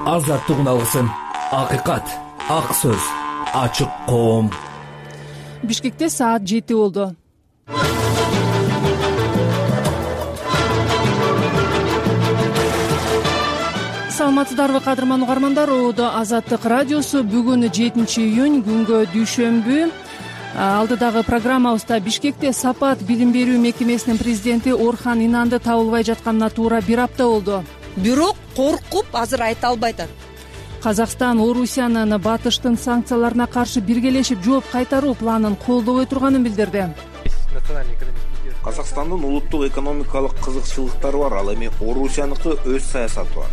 азаттык алгысын, акыйкат, ак сөз, ачык коом. Бишкекте саат 7 болду. Саламатсыздарбы кадырман угармандар, Оодо Азаттык радиосу. Бүгүн 7-июнь, күнгө дүйшөмбү. Алдыдагы программабызда Бишкекте Сапат билим берүү мекемесинин президенти Орхан Инанды табылбай жатканына туура 1 апта болду. Бирок коркуп азыр айта албай атат. Казакстан Орусиянын батыштын санкцияларына каршы биргелешип жооп кайтаруу планын колдобой турганын билдирди. Казакстандын улуттук экономикалык кызыкчылыктары бар, ал эми Орусияныкы өз саясаты бар.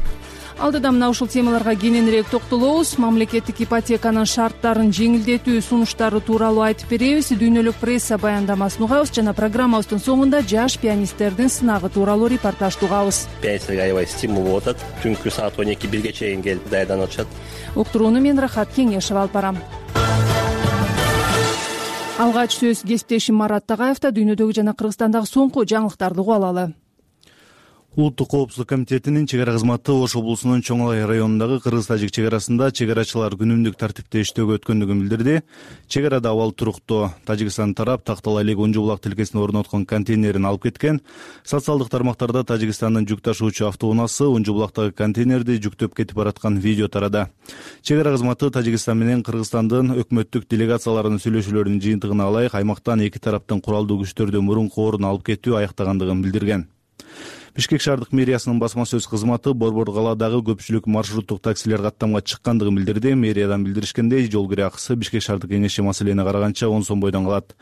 Алдыда мына ушул темаларга кененирээк токтолобуз. Мамлекеттик ипотеканын шарттарын жеңилдетүү сунуштары тууралуу айтып беребиз. Дүйнөлүк пресса баяндамасын угабыз жана программабыздын соңунда жаш пианисттердин сынагы тууралуу репортажды угабыз. Пианисттерге аябай стимул болуп атат. Түнкү саат 12-1ге чейин келип даярданып атышат. Уктурууну мен Рахат Кеңешева алып барам. Алгач сөз кесиптешим Марат Тагаевда. Дүйнөдөгү жана Кыргызстандагы соңку жаңылыктарды угуп алалы. Улуттук коопсуздук комитетинин чек ара кызматы Ош облусунун Чоң Алай районундагы кыргыз-тажик чек арасында чек арачылар күнүмдүк тартипте иштөөгө өткөндүгүн билдирди. Чек арада абал туруктуу. Тажикстан тарап Тактал Алек Унжу булак тилкесине орноткон контейнерин алып кеткен. Социалдык тармактарда Тажикстандын жүк ташуучу автоунаасы Унжу булактагы контейнерди жүктөп кетип бараткан видео тарады. Чек ара кызматы Тажикстан менен Кыргызстандын өкмөттүк делегацияларынын сүйлөшүүлөрүнүн жыйынтыгына ылайык аймактан эки тараптын куралдуу күчтөрдү мурунку ордуна алып кетүү аяктагандыгын билдирген. Бишкек шаардык мэриясынын басма сөз кызматы Борбор калаадагы көпчүлүк маршруттук таксилер каттамга чыккандыгын билдирди. Мэриядан билдиришкендей, жол кире акысы Бишкек шаардык кеңеши маселени караганча 10 сом бойдон калат.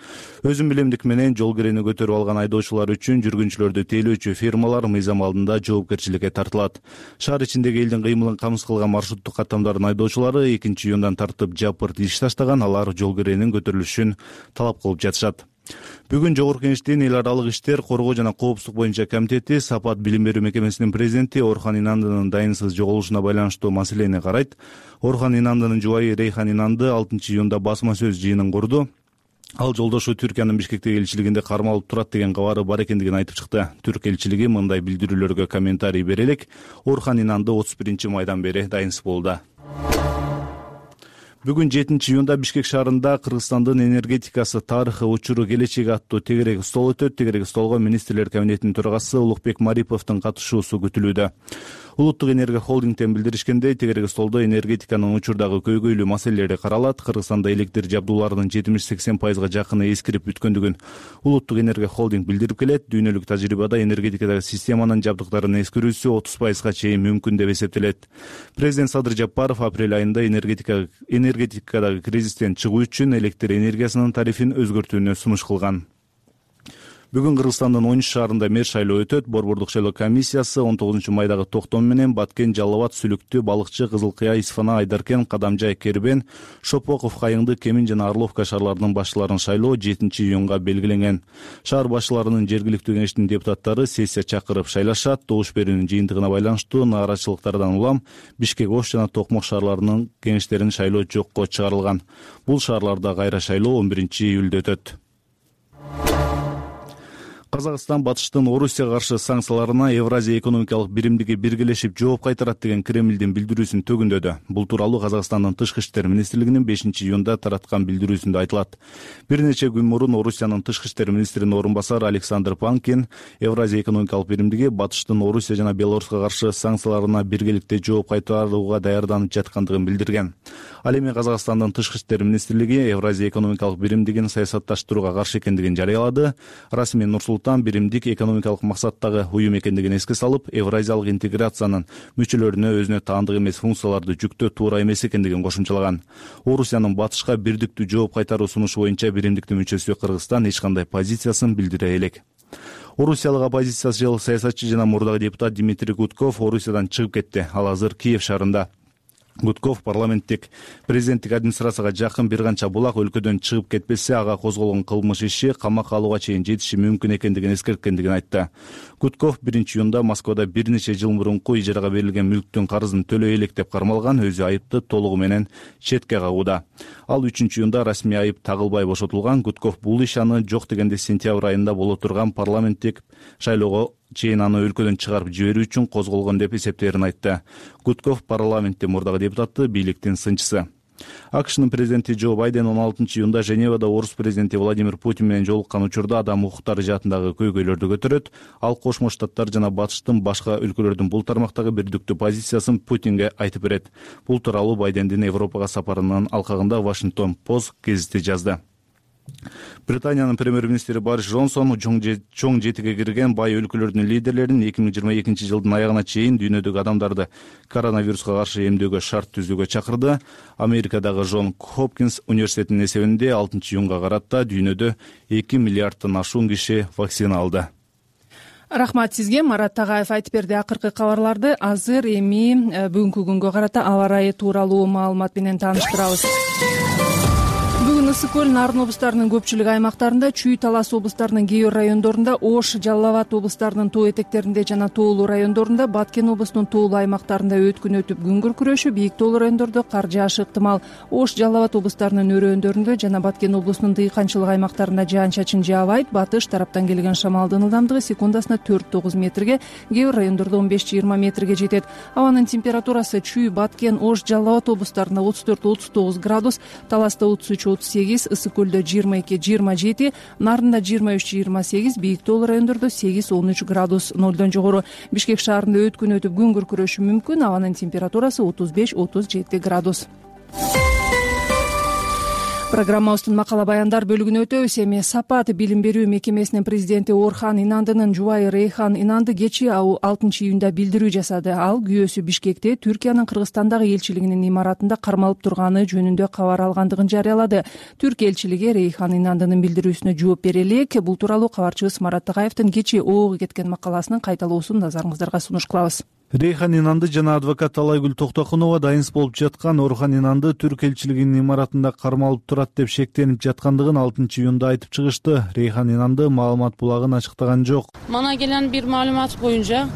Өзүн билемдик менен жол кирени көтөрүп алган айдоочулар үчүн жүргүнчүлөрдү тейлөөчү фирмалар мыйзам алдында жоопкерчиликке тартылат. Шаар ичиндеги элдин кыймылын камсыз кылган маршруттук каттамдардын айдоочулары 2-июндан тартып жапырт иш таштаган, алар жол киренин көтөрүлүшүн талап кылып жатышат. Бүгүн Жогорку Кеңештин эл аралык иштер, коргоо жана коопсуздук боюнча комитети Сапат билим берүү мекемесинин президенти Орхан Инандынын дайынсыз жоголушуна байланыштуу маселени карайт. Орхан Инандынын жубайы Рейхан Инанды 6-июнда басма сөз жыйынын курду. Ал жолдошу Түркиянын Бишкектеги элчилигинде кармалып турат деген кабары бар экендигин айтып чыкты. Түрк элчилиги мындай билдирүүлөргө комментарий бере элек. Орхан Инанды 31-майдан бери дайынсыз болууда. Бүгүн 7-июнда Бишкек шаарында Кыргызстандын энергетикасы, тарыхы, учуру, келечеги аттуу тегерек стол өтөт. Тегерек столго министрлер кабинетинин төрагасы Улукбек Мариповдун катышуусу күтүлүүдө. Улуттук энергия холдингден билдиришкендей, тегерек столдо энергетиканын учурдагы көйгөйлүү маселелери каралат. Кыргызстанда электр жабдууларынын 70-80% жакыны эскирип бүткөндүгүн Улуттук энергия холдинг билдирип келет. Дүйнөлүк тажрыйбада энергетикадагы системанын жабдыктарынын эскирүүсү 30%га чейин мүмкүн деп эсептелет. Президент Садыр Жапаров апрель айында энергетикадагы кризистен чыгуу үчүн электр энергиясынын тарифин өзгөртүүнү сунуш кылган. Бүгүн Кыргызстандын 10 шаарында мэр шайлоо өтөт. Борбордук шайлоо комиссиясы 19-майдагы токтом менен Баткен, Жалал Абад, Сүлүктү, Балыкчы, Кызыл Кыя, Исфана, Айдаркен, Кадамжай, Кербен, Шопоков, Кайыңды, Кемин жана Орловка шаарларынын башчыларын шайлоо 7-июнга белгиленген. Шаар башчыларынын жергиликтүү кеңештин депутаттары сессия чакырып шайлашат. Добуш берүүнүн жыйынтыгына байланыштуу нааразычылыктардан улам Бишкек, Ош жана Токмок шаарларынын кеңештерин шайлоо жокко чыгарылган. Бул шаарларда кайра шайлоо 11-июлда өтөт. Казакстан батыштын Орусияга каршы санкцияларына Евразия экономикалык биримдиги биргелешип жооп кайтарат деген Кремлдин билдирүүсүн төгүндөдү. Бул тууралуу Казакстандын Тышкы иштер министрлигинин 5-июнда тараткан билдирүүсүндө айтылат. Бир нече күн мурун Орусиянын Тышкы иштер министринин орун басары Александр Панкин Евразия экономикалык биримдиги батыштын Орусия жана Белоруска каршы санкцияларына биргеликте жооп кайтарууга даярданып жаткандыгын билдирген. Ал эми Казакстандын Тышкы иштер министрлиги Евразия экономикалык биримдигин саясатташтырууга каршы экендигин жарыялады. Расмий Нур-Султан биримдик экономикалык максаттагы уюм экендигин эске салып, евразиялык интеграциянын мүчөлөрүнө өзүнө таандык эмес функцияларды жүктөө туура эмес экендигин кошумчалаган. Орусиянын батышка бирдиктүү жооп кайтаруу сунушу боюнча биримдиктин мүчөсү Кыргызстан эч кандай позициясын билдире элек. Орусиялык оппозициячыл саясатчы жана мурдагы депутат Дмитрий Гудков Орусиядан чыгып кетти. Ал азыр Киев шаарында. Гудков парламенттик президенттик администрацияга жакын бир канча булак өлкөдөн чыгып кетпесе, ага козголгон кылмыш иши камакка алууга чейин жетиши мүмкүн экендигин эскерткендигин айтты. Гудков 1-июнда Москвада бир нече жыл мурунку ижарага берилген мүлктүн карызын төлөй элек деп кармалган, өзү айыпты толугу менен четке кагууда. Ал 3-июнда расмий айып тагылбай бошотулган. Гудков бул иш аны жок дегенде сентябрь айында боло турган парламенттик шайлоого чейин аны өлкөдөн чыгарып жиберүү үчүн козголгон деп эсептээрин айтты. Гудков парламентте мурдагы депутаты, бийликтин сынчысы. АКШнын президенти Джо Байден 16-июнда Женевада орус президенти Владимир Путин менен жолуккан учурда адам укуктары жаатындагы көйгөйлөрдү көтөрөт. Ал Кошмо Штаттар жана Батыштын башка өлкөлөрдүн бул тармактагы бирдиктүү позициясын Путинге айтып берет. Бул тууралуу Байдендин Европага сапарынын алкагында Washington Post гезити жазды. Британиянын премьер-министри Борис Джонсон чоң жетиге кирген бай өлкөлөрдүн лидерлерин 2022 жылдын аягына чейин дүйнөдөгү адамдарды коронавируска каршы эмдөөгө шарт түзүүгө чакырды. Америкадагы Джон Хопкинс университетинин эсебинде 6-июнга карата дүйнөдө 2 миллиардтан ашуун киши вакцина алды. Рахмат сизге. Марат Тагаев айтып берди. Акыркы кабарларды азыр эми бүгүнкү күнгө карата аба ырайы тууралуу маалымат менен тааныштырабыз. Бүгүн Ысык көл, Нарын облустарынын көпчүлүк аймактарында, Чүй, Талас облустарынын кээ бир райондорунда, Ош, Жалал Абад облустарынын тоо этектеринде жана тоолуу райондорунда, Баткен облусунун тоолуу аймактарында өткүн өтүп күн күркүрөшү, бийик тоолуу райондордо кар жаашы ыктымал. Ош, Жалал Абад облустарынын өрөөндөрүндө жана Баткен облусунун дыйканчылык аймактарында жаан-чачын жаабайт. Батыш тараптан келген шамалдын ылдамдыгы секундасына 4-9 метрге, кээ бир райондордо 15-20 метрге жетет. Абанын температурасы Чүй, Баткен, Ош, Жалал Абад облустарында 34-39 градус, Таласта 33-38, Ысык көлдө 22-27, Нарында 23-28, бийик тоолуу райондордо 8-13 градус нолдон жогору. Бишкек шаарында өткүн өтүп күн күркүрөшү мүмкүн. Абанын температурасы 35-37 градус. Программабыздын макала баяндар бөлүгүнө өтөбүз. Эми Сапат билим берүү мекемесинин президенти Орхан Инандынын жубайы Рейхан Инанды кечээ 6-июнда билдирүү жасады. Ал күйөөсү Бишкекте Түркиянын Кыргызстандагы элчилигинин имаратында кармалып турганы жөнүндө кабар алгандыгын жарыялады. Түрк элчилиги Рейхан Инандынын билдирүүсүнө жооп бере элек. Бул тууралуу кабарчыбыз Марат Тагаевдин кечээ Оого кеткен макаласынын кайталоосун назарыңыздарга сунуш кылабыз. Рейхан Инанды жана адвокат Талайгүл Токтокунова дайынс болуп жаткан Орхан Инанды Түрк элчилигинин имаратында кармалып турат деп шектенип жаткандыгын 6-июнда айтып чыгышты. Рейхан Инанды маалымат булагын ачыктаган жок. Мана gelen bir malumat boyunca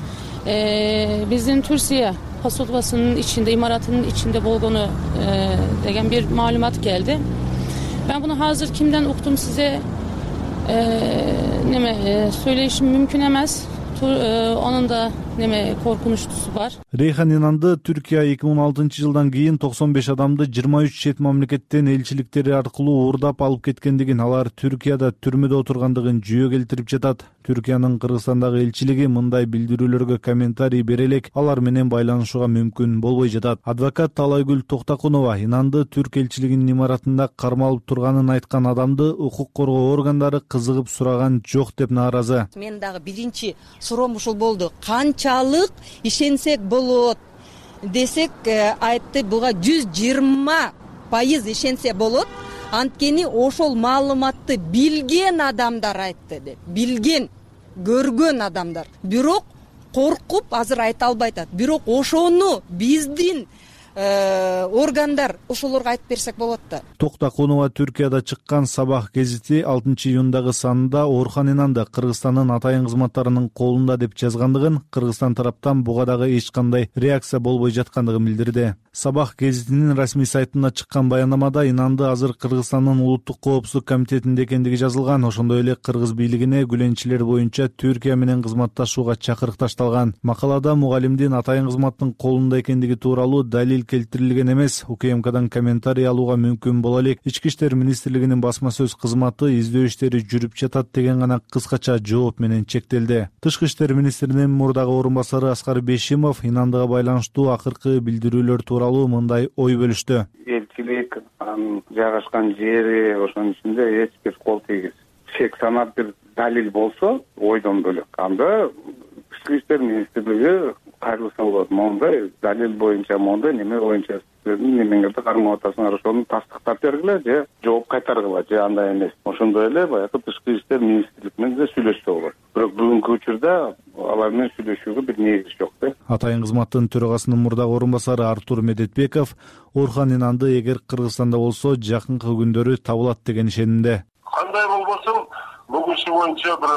bizim Türkiye посольствосунун içinde, imaratının içinde болгону деген bir malumat geldi. Ben bunu hazır kimden okudum size söyleyişim mümkün emez. Onun da korkunçlusu var. Reyhan Inandı Türkiye 2016 жылдан кийин 95 адамды 23 чет мамлекеттен элчиликтери аркылуу уурдап алып кеткендигин, алар Түркияда түрмөдө отургандыгын жүйө келтирип жатат. Түркиянын Кыргызстандагы элчилиги мындай билдирүүлөргө комментарий бере элек алар менен байланышууга мүмкүн болбой жатат. Адвокат Талайгүл Токтокунова Инанды Түрк элчилигинин имаратында кармалып турганын айткан адамды укук коргоо органдары кызыгып сураган жок деп нааразы. Мен дагы биринчи суроом ушул болду. Канчалык ишенсек болот десек, айтты буга 120% ишенсе болот. Анткени ошол маалыматты билген адамдар айтты деп. Билген, көргөн адамдар. Бирок коркуп азыр айта албай атат. Бирок ошону биздин органдар ошолорго айтып берсек болот да. Токтокунова Түркияда чыккан Сабах гезити 6-июндагы санында Орхан Инанды Кыргызстандын атайын кызматтарынын колунда деп жазгандыгын, Кыргызстан тараптан буга дагы эч кандай реакция болбой жаткандыгын билдирди. Сабах гезитинин расмий сайтында чыккан баянамада Инанды азыр Кыргызстандын улуттук коопсуздук комитетинде экендиги жазылган. Ошондой эле кыргыз бийлигине күлөнчүлөр боюнча Түркия менен кызматташууга чакырык ташталган. Макалада мугалимдин атайын кызматтын колунда экендиги тууралуу далил келтирилген эмес. УКМКдан комментарий алууга мүмкүн боло элек. Ички иштер министрлигинин басма сөз кызматы издөө иштери жүрүп жатат деген гана кыскача жооп менен чектелди. Тышкы иштер министринин мурдагы орун басары Аскар Бешимов Инандыга байланыштуу акыркы билдирүүлөр тууралуу мындай ой бөлүштү. Элчилик жайгашкан жери ошонун ичинде эч бир кол тийгиз. Шек санап бир далил болсо ойдон бөлөк. Анда Тышкы иштер министрлиги кайрылса болот. Мондай далил боюнча мондай неме боюнча немеңерди кармап атасыңар, ошону тастыктап бергиле же жооп кайтаргыла же андай эмес. Ошондой эле баягы Тышкы иштер министрлиги менен да сүйлөшсө болот. Бирок бүгүнкү учурда алар менен сүйлөшүүгө бир негиз жок да. Атайын кызматтын төрагасынын мурдагы орун басары Артур Медетбеков Орхан Инанды эгер Кыргызстанда болсо жакынкы күндөрү табылат деген ишенимде. Кандай болбосун бүгүн иши боюнча бир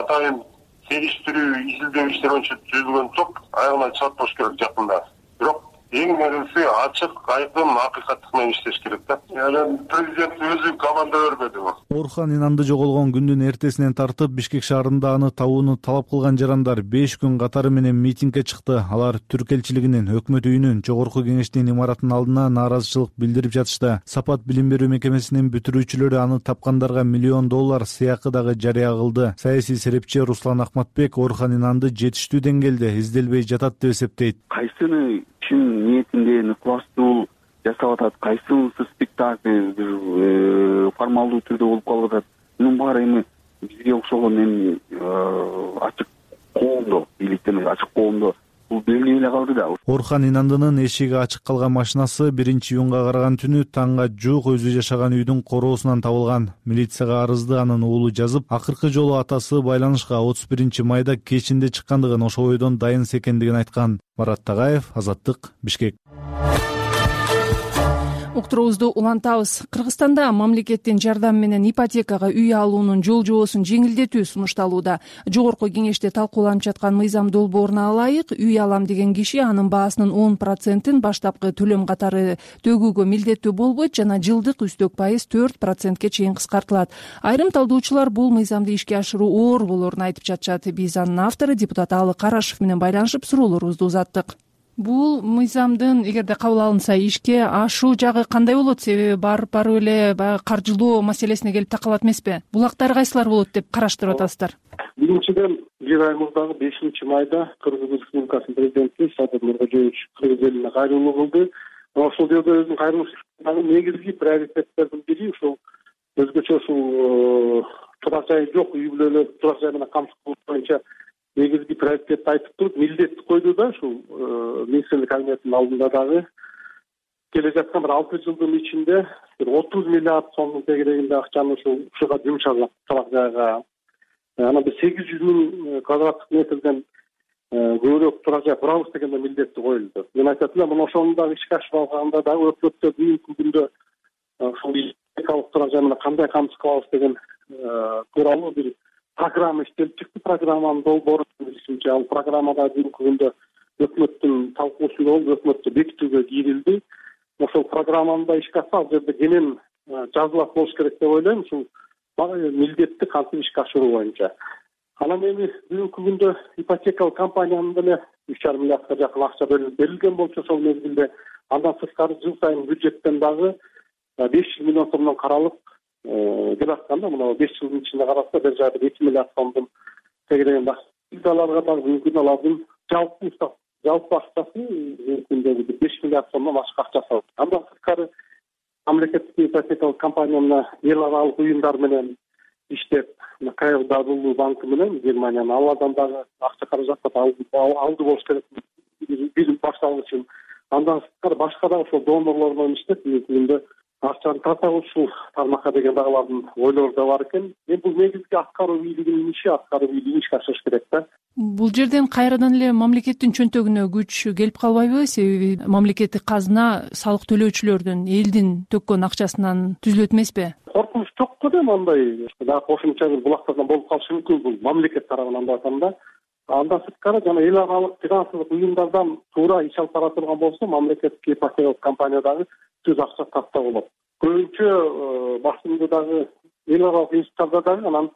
атайын териштирүү изилдөө иштери боюнча түзүлгөн топ аягына чыгат болуш керек жакында. Бирок эң негизгиси ачык, айкын, акыйкаттык менен иштеш керек да. Анан президент өзү команда бербедиби? Орхан Инанды жоголгон күндүн эртесинен тартып Бишкек шаарында аны табууну талап кылган жарандар 5 күн катары менен митингге чыкты. Алар Түрк элчилигинин, өкмөт үйүнүн, Жогорку Кеңештин имаратынын алдына нааразычылык билдирип жатышты. Сапат билим берүү мекемесинин бүтүрүүчүлөрү аны тапкандарга $1 миллион сыйакы дагы жарыя кылды. Саясий серепчи Руслан Акматбек Орхан Инанды жетиштүү деңгээлде изделбей жатат деп эсептейт. Кайсыны чын ниетинде ыкластуу жасап атат, кайсынысы спектакль формалдуу түрдө болуп калып атат. Мунун баары эми бизге окшогон эми ачык коомдо, бийликте эмес, ачык коомдо бул белгилей эле калды да. Орхан Инандынын эшиги ачык калган машинасы 1-июнга караган түнү таңга жуук өзү жашаган үйдүн короосунан табылган. Милицияга арызды анын уулу жазып, акыркы жолу атасы байланышка 31 майда кечинде чыккандыгын, ошол бойдон дайын экендигин айткан. Марат Тагаев, Азаттык, Бишкек. Уктуруубузду улантабыз. Кыргызстанда мамлекеттин жардамы менен ипотекага үй алуунун жол жобосун жеңилдетүү сунушталууда. Жогорку Кеңеште талкууланып жаткан мыйзам долбооруна ылайык, үй алам деген киши анын баасынын 10%-ин баштапкы төлөм катары төгүүгө милдеттүү болбойт жана жылдык үстөк пайыз 4%ке чейин кыскартылат. Айрым талдоочулар бул мыйзамды ишке ашыруу оор болоорун айтып жатышат. Биз анын автору депутат Алы Карашев менен байланышып суроолорубузду узаттык. Бул мыйзамдын эгерде кабыл алынса ишке ашуу жагы кандай болот? Себеби барып эле каржылоо маселесине келип такалат эмеспи? Булактары кайсылар болот деп караштырып атасыздар? Биринчиден, жыл айымыздагы 5 майда Кыргыз Республикасынын президенти Садыр Нуркожоевич Кыргыз элине кайрылуу кылды. Ошол жерде өзүнүн кайрылуусундагы негизги приоритеттердин бири ушул өзгөчө ушул турак жайы жок үй бүлөлөр турак жай менен камсыздоо боюнча негизги приоритетти айтып туруп милдетти койду да. Ушул министрлик кабинетинин алдында дагы келе жаткан 6 жылдын ичинде 30 миллиард сомдун тегерегинде акчаны ушуга жумшалат турак жайга. Анан биз 800 миң квадраттык метрден көбүрөөк турак жай курабыз деген милдетти коюлду. Мен айтат элем, мына ошону дагы ишке ашырып алганда дагы өкмөттө бүгүнкү күндө ушул ипотекалык турак жай менен кандай камсыз кылабыз деген тууралуу бир программа иштелип чыкты. Программанын долбоору билишимче, ал программада бүгүнкү күндө өкмөттүн талкуусунда болуп, өкмөттө бекитүүгө кийрилди. Ошол программаны да ишке ашса, ал жерде кенен жазылат болуш керек деп ойлойм. Ушул милдетти кантип ишке ашыруу боюнча. Анан эми бүгүнкү күндө ипотекалык компаниянын деле 3,5 миллиардка жакын акча берилген болчу ошол мезгилде. Андан сырткары жыл сайын бюджеттен дагы 500 миллион сомдон каралып келатканда, мына 5 жылдын ичинде караса, бир жайда 2 миллиард сомдун тегерегинде аларга дагы бүгүнкү алардын жалпы акчасы бүгүнкү 5 миллиард сомдон ашык акчасы. Андан сырткары мамлекеттик ипотекалык компания эл аралык уюмдар менен иштеп, KfW банкы менен Германиянын алардан дагы акча каражатты алды болуш керек бир башталыш үчүн. Андан сырткары башка дагы ошол донорлор менен иштеп, бүгүнкү күндө акчаны тартабыз ушул тармакка деген дагы алардын ойлору да бар экен. Бул негизги аткаруу бийлигинин иши, аткаруу бийлиги ишке ашырыш керек да. Бул жерден кайрадан эле мамлекеттин чөнтөгүнө күч келип калбайбы? Себеби мамлекеттик казына салык төлөөчүлөрдүн, элдин төккөн акчасынан түзүлөт эмеспи? Коркунуч жок го дейм, андай дагы кошумча бир булактардан болуп калышы мүмкүн. Бул мамлекет тарабынан деп атам да. Андан сырткары жана эл аралык финансылык уюмдардан туура иш алып бара турган болсо, мамлекеттик ипотекалык компания дагы түз акча тапса болот. Көбүнчө басымды дагы эл аралык институттарда дагы анан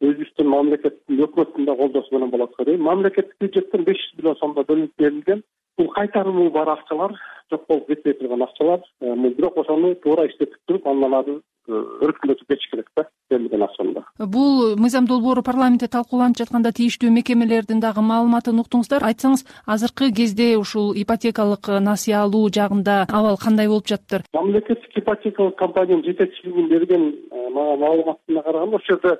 өзүбүздүн мамлекеттин өкмөттүн да колдоосу менен болот го дейм. Мамлекеттик бюджеттен 500 миллион сомдо бөлүнүп берилген. Бул кайтарымы бар акчалар, жок болуп кетпей турган акчалар. Бирок ошону туура иштетип туруп, андан ары өркүндөтүп кетиш керек да, берилген акчаны. Бул мыйзам долбоору парламентте талкууланып жатканда тийиштүү мекемелердин дагы маалыматын уктуңуздар. Айтсаңыз, азыркы кезде ушул ипотекалык насыя алуу жагында абал кандай болуп жатыптыр? Мамлекеттик ипотекалык компаниянын жетекчилигинин берген маалыматына караганда, ошол жерде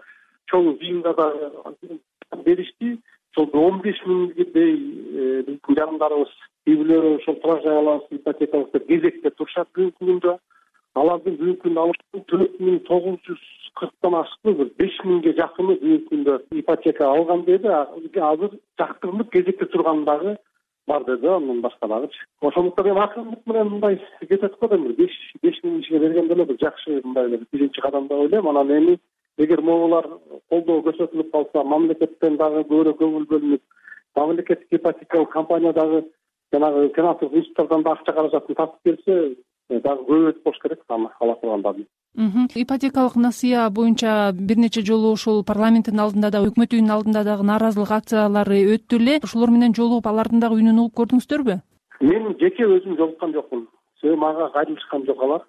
чоң жыйында дагы беришти. Ошол 15 миңдей биздин жарандарыбыз үй бүлөлөр ошол турак жай алабыз, ипотекалык деп кезекте турушат бүгүнкү күндө. Алардын бүгүнкү күндө 4940 ашыкпы, 5000ге жакыны бүгүнкү күндө ипотека алган деди. Азыр жактырылып кезекте турган дагы бар деди, андан башка дагы. Ошондуктан эми акырындык менен мындай кетет го дейм. 5000 кишиге берген деле бир жакшы мындай биринчи кадам деп ойлойм. Анан эми эгер могулар колдоо көрсөтүлүп калса, мамлекеттен дагы көбүрөөк көңүл бөлүнүп, мамлекеттик ипотекалык компания дагы жанагы финансылык институттардан да акча каражатын тартып берсе дагы көбөйтүп коюш керек аны ала тургандарын. Ипотекалык насыя боюнча бир нече жолу ушул парламенттин алдында да өкмөт үйүнүнүн алдында дагы нааразылык акциялары өттү эле. Ошолор менен жолугуп алардын дагы үнүн угуп көрдүңүздөрбү? Мен жеке өзүм жолуккан жокмун. Себеби мага кайрылышкан жок алар.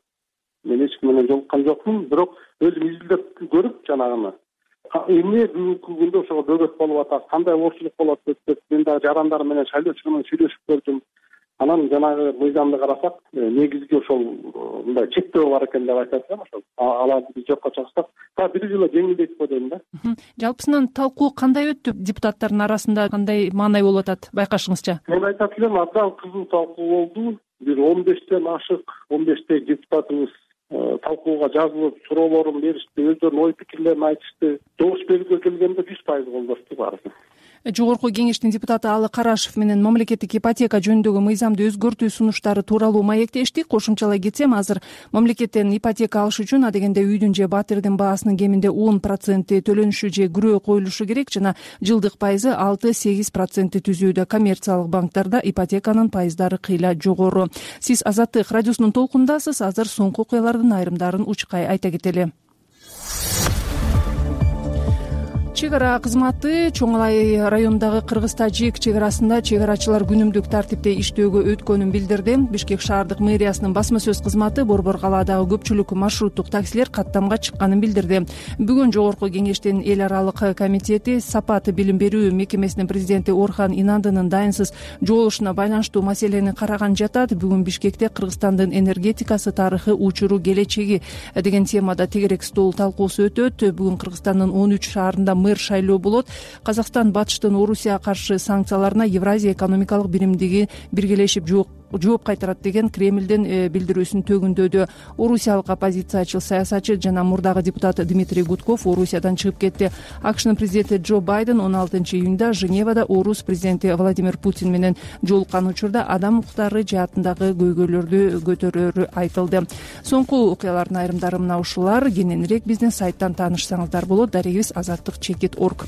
Мен эч ким менен жолуккан жокмун, бирок өзүм изилдеп көрүп жанагыны эмне бүгүнкү күндө ошого бөгөт болуп атат, кандай оорчулук болот деп мен дагы жарандарым менен шайлоочу менен сүйлөшүп көрдүм. Анан жанагы мыйзамды карасак, негизги ошол мындай чектөө бар экен деп айтат экен. Ошол аларды биз жокко чыгырсак, бир жылы жеңилдейт го дейм да. Жалпысынан талкуу кандай өттү? Депутаттардын арасында кандай маанай болуп атат байкашыңызча? Мен айтат элем, абдан кызуу талкуу болду. Бир 15тен ашык, 15 депутатыбыз талкууга жазылып, суроолорун беришти, өздөрүнүн ой пикирлерин айтышты. Добуш берүүгө келгенде 100% колдошту баары. Жогорку кеңештин депутаты Алы Карашев менен мамлекеттик ипотека жөнүндөгү мыйзамды өзгөртүү сунуштары тууралуу маектешти. Кошумчалай кетсем, азыр мамлекеттен ипотека алыш үчүн адегенде үйдүн же батирдин баасынын кеминде 10% төлөнүшү же күрөө коюлушу керек жана жылдык пайызы 6-8% түзүүдө. Коммерциялык банктарда ипотеканын пайыздары кыйла жогору. Сиз Азаттык радиосунун толкундасыз. Азыр соңку окуялардын айрымдарын учкай айта кетели. Чек ара кызматы Чоң Алай районундагы Кыргыз-Тажик чек арасында чек арачылар күнүмдүк тартипте иштөөгө өткөнүн билдирди. Бишкек шаардык мэриясынын басма сөз кызматы Борбор калаадагы көпчүлүк маршруттук таксилер каттамга чыкканын билдирди. Бүгүн Жогорку кеңештин эл аралык комитети Сапат билим берүү мекемесинин президенти Орхан Инандынын дайынсыз жоолушуна байланыштуу маселени караган жатат. Бүгүн Бишкекте Кыргызстандын энергетикасы, тарыхы, учуру, келечеги деген темада тегерек стол талкуусу өтөт. Бүгүн Кыргызстандын 13 шаарында шайлоо болот. Казакстан батыштын Орусияга каршы санкцияларына Евразия экономикалык биримдиги биргелешип жооп кайтарат деген Кремлдин билдирүүсүн төгүндөдү. Орусиялык оппозициячыл саясатчы жана мурдагы депутат Дмитрий Гудков Орусиядан чыгып кетти. АКШнын президенти Джо Байден 16-июнда Женевада Орус президенти Владимир Путин менен жолуккан учурда адам укуктары жаатындагы көйгөйлөрдү көтөрөрү айтылды. Соңку окуялардын айрымдары мына ушулар. Кененирээк биздин сайттан таанышсаңыздар болот. Дарегибиз azatlik.org.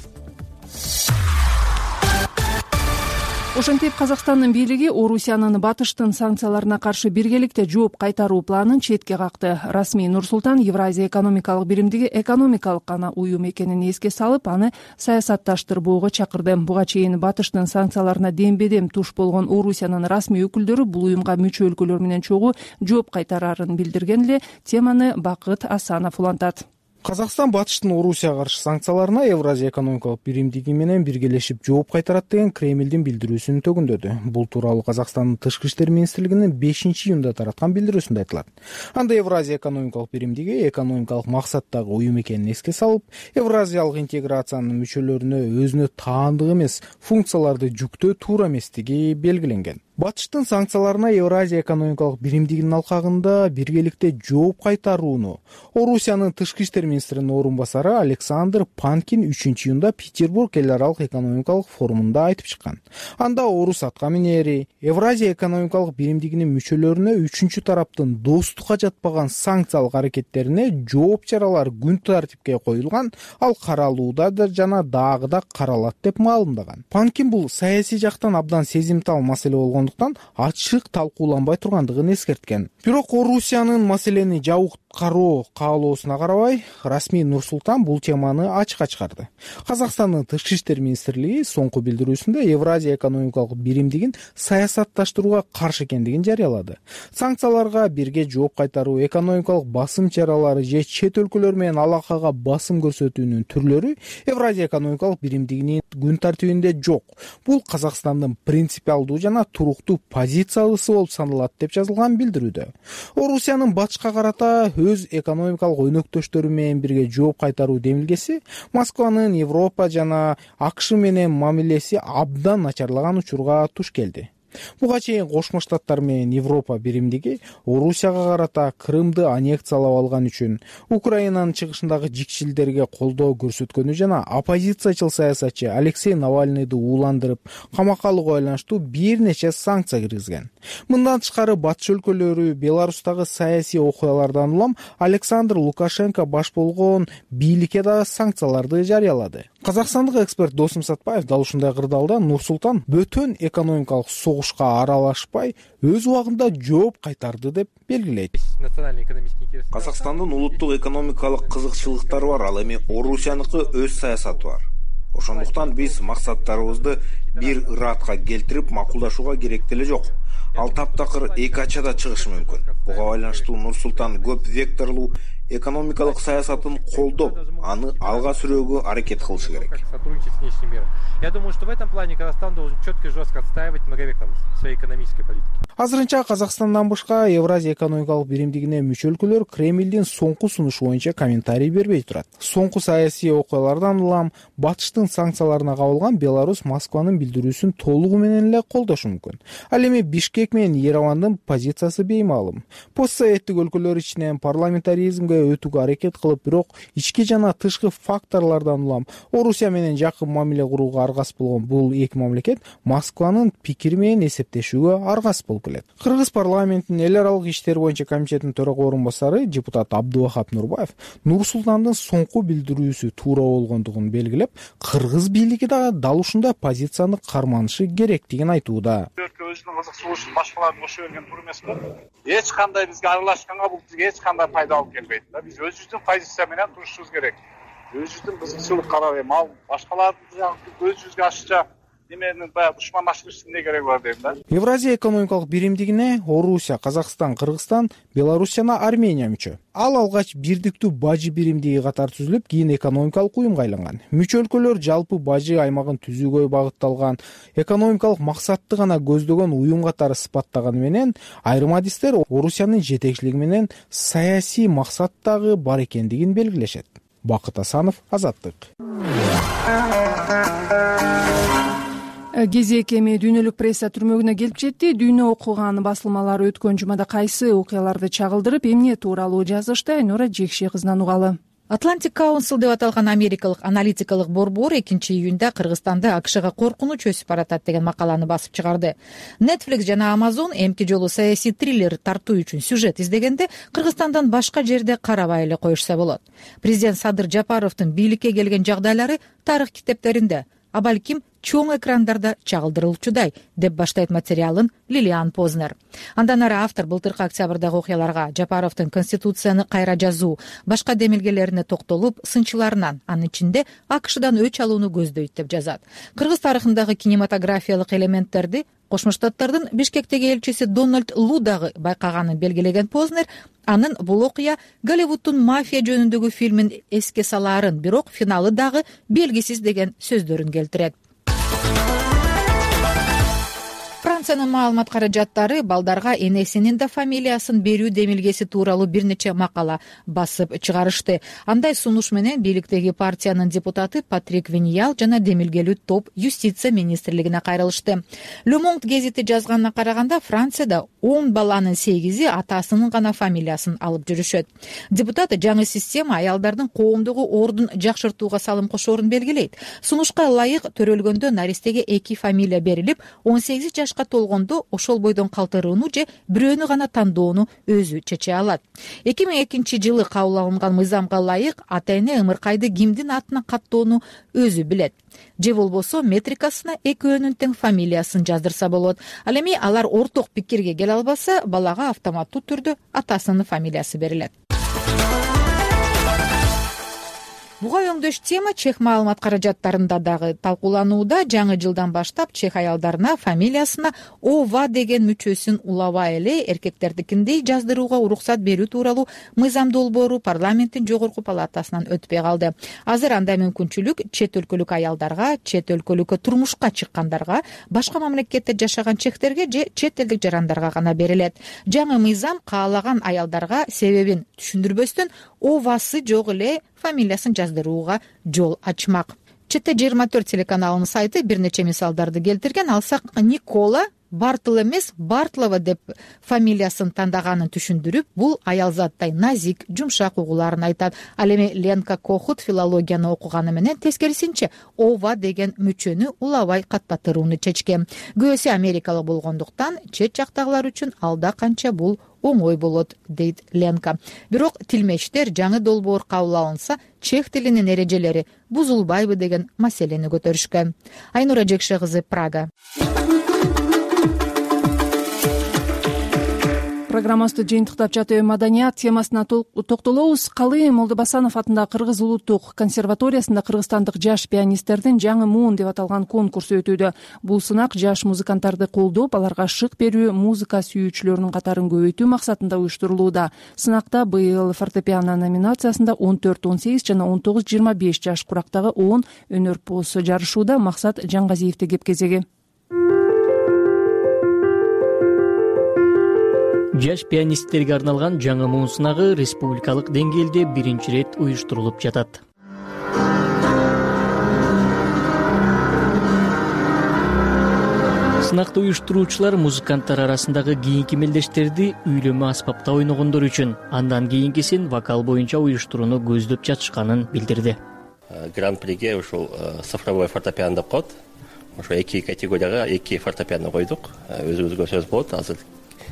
Ошентип Казакстандын бийлиги Орусиянын батыштын санкцияларына каршы биргеликте жооп кайтаруу планын четке какты. Расмий Нур-Султан Евразия экономикалык биримдиги экономикалык гана уюм экенин эске салып, аны саясатташтырбоого чакырды. Буга чейин батыштын санкцияларына дембедем туш болгон Орусиянын расмий өкүлдөрү бул уюмга мүчө өлкөлөр менен чогуу жооп кайтарарын билдирген эле. Теманы Бакыт Асанов улантат. Казакстан батыштын Орусияга каршы санкцияларына Евразия экономикалык биримдиги менен биргелешип жооп кайтарат деген Кремлдин билдирүүсүн төгүндөдү. Бул тууралуу Казакстандын Тышкы иштер министрлигинин 5-июнда тараткан билдирүүсүндө айтылат. Анда Евразия экономикалык биримдиги экономикалык максаттагы уюм экенин эске салып, Евразиялык интеграциянын мүчөлөрүнө өзүнө таандык эмес функцияларды жүктөө туура эместиги белгиленген. Батыштын санкцияларына Евразия экономикалык биримдигинин алкагында биргеликте жооп кайтарууну Орусиянын Тышкы иштер министринин орун басары Александр Панкин 3-июнда Петербург эл аралык экономикалык форумунда айтып чыккан. Анда Орус атка минери Евразия экономикалык биримдигинин мүчөлөрүнө үчүнчү тараптын достукка жатпаган санкциялык аракеттерине жооп чаралар күн тартипке коюлган, ал каралууда жана дагы да каралат деп маалымдаган. Панкин бул саясий жактан абдан сезимтал маселе болгондуктан ачык талкууланбай тургандыгын эскерткен. Бирок Орусиянын маселени жабык кароо каалоосуна карабай, расмий Нур-Султан бул теманы ачыкка чыгарды. Казакстандын Тышкы иштер министрлиги соңку билдирүүсүндө Евразия экономикалык биримдигин саясатташтырууга каршы экендигин жарыялады. Санкцияларга бирге жооп кайтаруу, экономикалык басым чаралары же чет өлкөлөр менен алакага басым көрсөтүүнүн түрлөрү Евразия экономикалык биримдигинин күн тартибинде жок. Бул Казакстандын принципиалдуу жана туруктуу позициясы болуп саналат деп жазылган билдирүүдө. Орусиянын батышка карата өз экономикалык өнөктөштөрү менен бирге жооп кайтаруу демилгеси Москванын Европа жана АКШ менен мамилеси абдан начарлаган учурга туш келди. Буга чейин Кошмо Штаттар менен Европа биримдиги Орусияга карата Крымды аннексиялап алган үчүн, Украинанын чыгышындагы жикчилдерге колдоо көрсөткөнү жана оппозициячыл саясатчы Алексей Навальныйды ууландырып, камакка алууга байланыштуу бир нече санкция киргизген. Мындан тышкары батыш өлкөлөрү Беларустагы саясий окуялардан улам Александр Лукашенко баш болгон бийликке да санкцияларды жарыялады. Казакстандык эксперт Досум Сатпаев дал ушундай кырдаалда Нур-Султан бөтөн экономикалык согушка аралашпай өз убагында жооп кайтарды деп белгилейт. Казакстандын улуттук экономикалык кызыкчылыктары бар, ал эми Орусияныкы өз саясаты бар. Ошондуктан биз максаттарыбызды бир ыраатка келтирип макулдашууга керек деле жок. Ал таптакыр эки ачада чыгышы мүмкүн. Буга байланыштуу Нур-Султан көп векторлуу экономикалык саясатын колдоп, аны алга сүрөөгө аракет кылышы керек. Я думаю, что в этом плане Казахстан должен четко и жестко отстаивать многовекторность своей экономической политики. Азырынча Казакстандан башка Евразия экономикалык биримдигине мүчө өлкөлөр Кремлдин соңку сунушу боюнча комментарий бербей турат. Соңку саясий окуялардан улам Батыштын санкцияларына кабылган Беларусь Москванын билдирүүсүн толугу менен эле колдошу мүмкүн. Ал эми Бишкек менен Еревандын позициясы беймаалым. Постсоветтик өлкөлөр ичинен парламентаризмге өтүүгө аракет кылып, бирок ички жана тышкы факторлордон улам Орусия менен жакын мамиле курууга аргас болгон бул эки мамлекет Москванын пикири менен эсептешүүгө аргас болуп келет. Кыргыз парламентинин эл аралык иштер боюнча комитетинин төрага орун басары депутат Абдувахап Нурбаев Нур-Султандын соңку билдирүүсү туура болгондугун белгилеп, кыргыз бийлиги да дал ушундай позицияны карманышы керектигин айтууда. Өзүнүн кызыкчылыгын башкаларды кошо берген туура эмес го. Эч кандай бизге аралашканга бул бизге эч кандай пайда алып келбейт да. Биз өзүбүздүн позиция менен турушубуз керек. Өзүбүздүн кызыкчылык карап, ал башкалардын өзүбүзгө ашыкча неменин баягы душмандаштырыштын эмне кереги бар дейм да. Евразия экономикалык биримдигине Орусия, Казакстан, Кыргызстан, Беларусь жана Армения мүчө. Ал алгач бирдиктүү бажы биримдиги катары түзүлүп, кийин экономикалык уюмга айланган. Мүчө өлкөлөр жалпы бажы аймагын түзүүгө багытталган экономикалык максатты гана көздөгөн уюм катары сыпаттаганы менен, айрым адистер Орусиянын жетекчилиги менен саясий максат дагы бар экендигин белгилешет. Бакыт Асанов, Азаттык. Кезек эми дүйнөлүк пресса түрмөгүнө келип жетти. Дүйнө окуган басылмалар өткөн жумада кайсы окуяларды чагылдырып, эмне тууралуу жазышты, Айнура Жекше кызынан угалы. Atlantic Council деп аталган америкалык аналитикалык борбор 2-июнда Кыргызстанда АКШга коркунуч өсүп баратат деген макаланы басып чыгарды. Netflix жана Amazon эмки жолу саясий триллер тартуу үчүн сюжет издегенде Кыргызстандан башка жерде карабай эле коюшса болот. Президент Садыр Жапаровдун бийликке келген жагдайлары тарых китептеринде, а балким чоң экрандарда чагылдырылчудай деп баштайт материалын Лилиан Познер. Андан ары автор былтыркы октябрдагы окуяларга, Жапаровдун Конституцияны кайра жазуу, башка демилгелерине токтолуп, сынчыларынан, анын ичинде АКШдан өч алууну көздөйт деп жазат. Кыргыз тарыхындагы кинематографиялык элементтерди Кошмо Штаттардын Бишкектеги элчиси Дональд Лу дагы байкаганын белгилеген Познер, анын бул окуя Голливуддун мафия жөнүндөгү фильмин эске салаарын, бирок финалы дагы белгисиз деген сөздөрүн келтирет. Франциянын маалымат каражаттары балдарга энесинин да фамилиясын берүү демилгеси тууралуу бир нече макала басып чыгарышты. Андай сунуш менен бийликтеги партиянын депутаты Патрик Виньял жана демилгелүү топ юстиция министрлигине кайрылышты. Le Monde гезити жазганына караганда, Францияда 10 баланын 8-и атасынын гана фамилиясын алып жүрүшөт. Депутат жаңы система аялдардын коомдогу ордун жакшыртууга салым кошоорун белгилейт. Сунушка ылайык төрөлгөндө наристеге 2 фамилия берилип, 18 жашка толгондо ошол бойдон калтырууну же бирөөнү гана тандоону өзү чече алат. 2002 жылы кабыл алынган мыйзамга ылайык ата-эне ымыркайды кимдин атына каттоону өзү билет. Же болбосо метрикасына экөөнүн тең фамилиясын жаздырса болот. Ал эми алар орток пикирге келе албаса, балага автоматтуу түрдө атасынын фамилиясы берилет. Буга өңдөш тема чех маалымат каражаттарында дагы талкууланууда. Жаңы жылдан баштап чех аялдарына фамилиясына ова деген мүчөсүн улабай эле эркектердикиндей жаздырууга уруксат берүү тууралуу мыйзам долбоору парламенттин жогорку палатасынан өтпөй калды. Азыр андай мүмкүнчүлүк чет өлкөлүк аялдарга, чет өлкөлүккө турмушка чыккандарга, башка мамлекетте жашаган чехтерге же чет элдик жарандарга гана берилет. Жаңы мыйзам каалаган аялдарга себебин түшүндүрбөстөн овасы жок эле фамилиясын жаздырууга жол ачмак. ЧТ 24 телеканалынын сайты бир нече мисалдарды келтирген. Алсак, Никола Бартл эмес Бартлова деп фамилиясын тандаганын түшүндүрүп, бул аялзаттай назик, жумшак угууларын айтат. Ал эми Ленка Кохут филологияны окуганы менен тескерисинче ова деген мүчөнү улабай каттатырууну чечкен. Күйөөсү америкалык болгондуктан чет жактагылар үчүн алда канча бул оңой болот, дейт Ленка. Бирок тилмештер жаңы долбоор кабыл алынса, чех тилинин эрежелери бузулбайбы деген маселени көтөрүшкөн. Айнура Жекше кызы, Прага. Программабызды жыйынтыктап жатып, маданият темасына токтолобуз. Калый Молдобасанов атындагы Кыргыз улуттук консерваториясында кыргызстандык жаш пианисттердин жаңы муун деп аталган конкурсу өтүүдө. Бул сынак жаш музыканттарды колдоп, аларга шык берүү, музыка сүйүүчүлөрүнүн катарын көбөйтүү максатында уюштурулууда. Сынакта быйыл фортепиано номинациясында 14-18 жана 19-25 жаш курактагы 10 өнөрпоз жарышууда. Максат Жаңгазиевди кеп кезеги. Жаш пианисттерге арналган жаңы муун сынагы республикалык деңгээлде биринчи рет уюштурулуп жатат. Сынакты уюштуруучулар музыканттар арасындагы кийинки мелдештерди үйлөмө аспапта ойногондор үчүн, андан кийинкисин вокал боюнча уюштурууну көздөп жатышканын билдирди. Гран-приге ушул цифровой фортепиано деп коет. Ошо эки категорияга эки фортепиано койдук. Өзүбүзгө сөз болот, азыр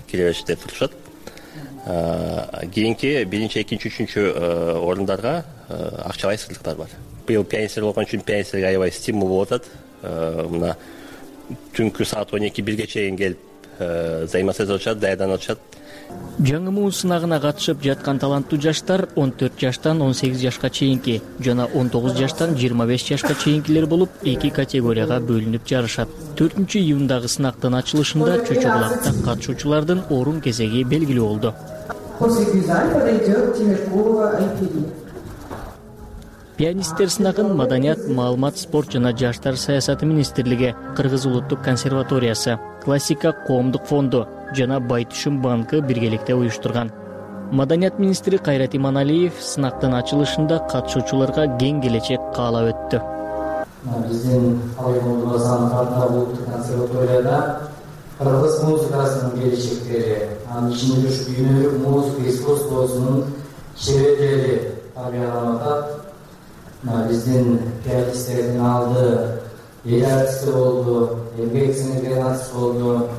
келебеште турушат. Кийинки биринчи, экинчи, үчүнчү орундарга акчалай сыйлыктар бар. Быйыл пианистер болгон үчүн пианисттерге аябай стимул болуп атат. Мына түнкү саат 12-1 чейин келип займасыз отушат, даярданып атышат. Жаңы муун сынагына катышып жаткан таланттуу жаштар 14 жаштан 18 жашка чейинки жана 19 жаштан 25 жашка чейинкилер болуп, эки категорияга бөлүнүп жарышат. 4-июндагы сынактын ачылышында Чөчөгулакта катышуучулардын орун кезеги белгилүү болду. Пианисттер сынагын Маданият, маалымат, спорт жана жаштар саясаты министрлиги, Кыргыз улуттук консерваториясы, Классика коомдук фонду жана Байтүшүм банкы биргеликте уюштурган. Маданият министри Кайрат Иманалиев сынактын ачылышында катышуучуларга кең келечек каалап өттү. Биздин Молдобасанов атындагы улуттук консерваторияда кыргыз музыкасынын келечектери, анын ичинде ушу өнөр, музыка искусствосунун чеберлери тарбияланып атат. Биздин пианисттердин алды эл артисти болду, эмгек сиңирген артист болду.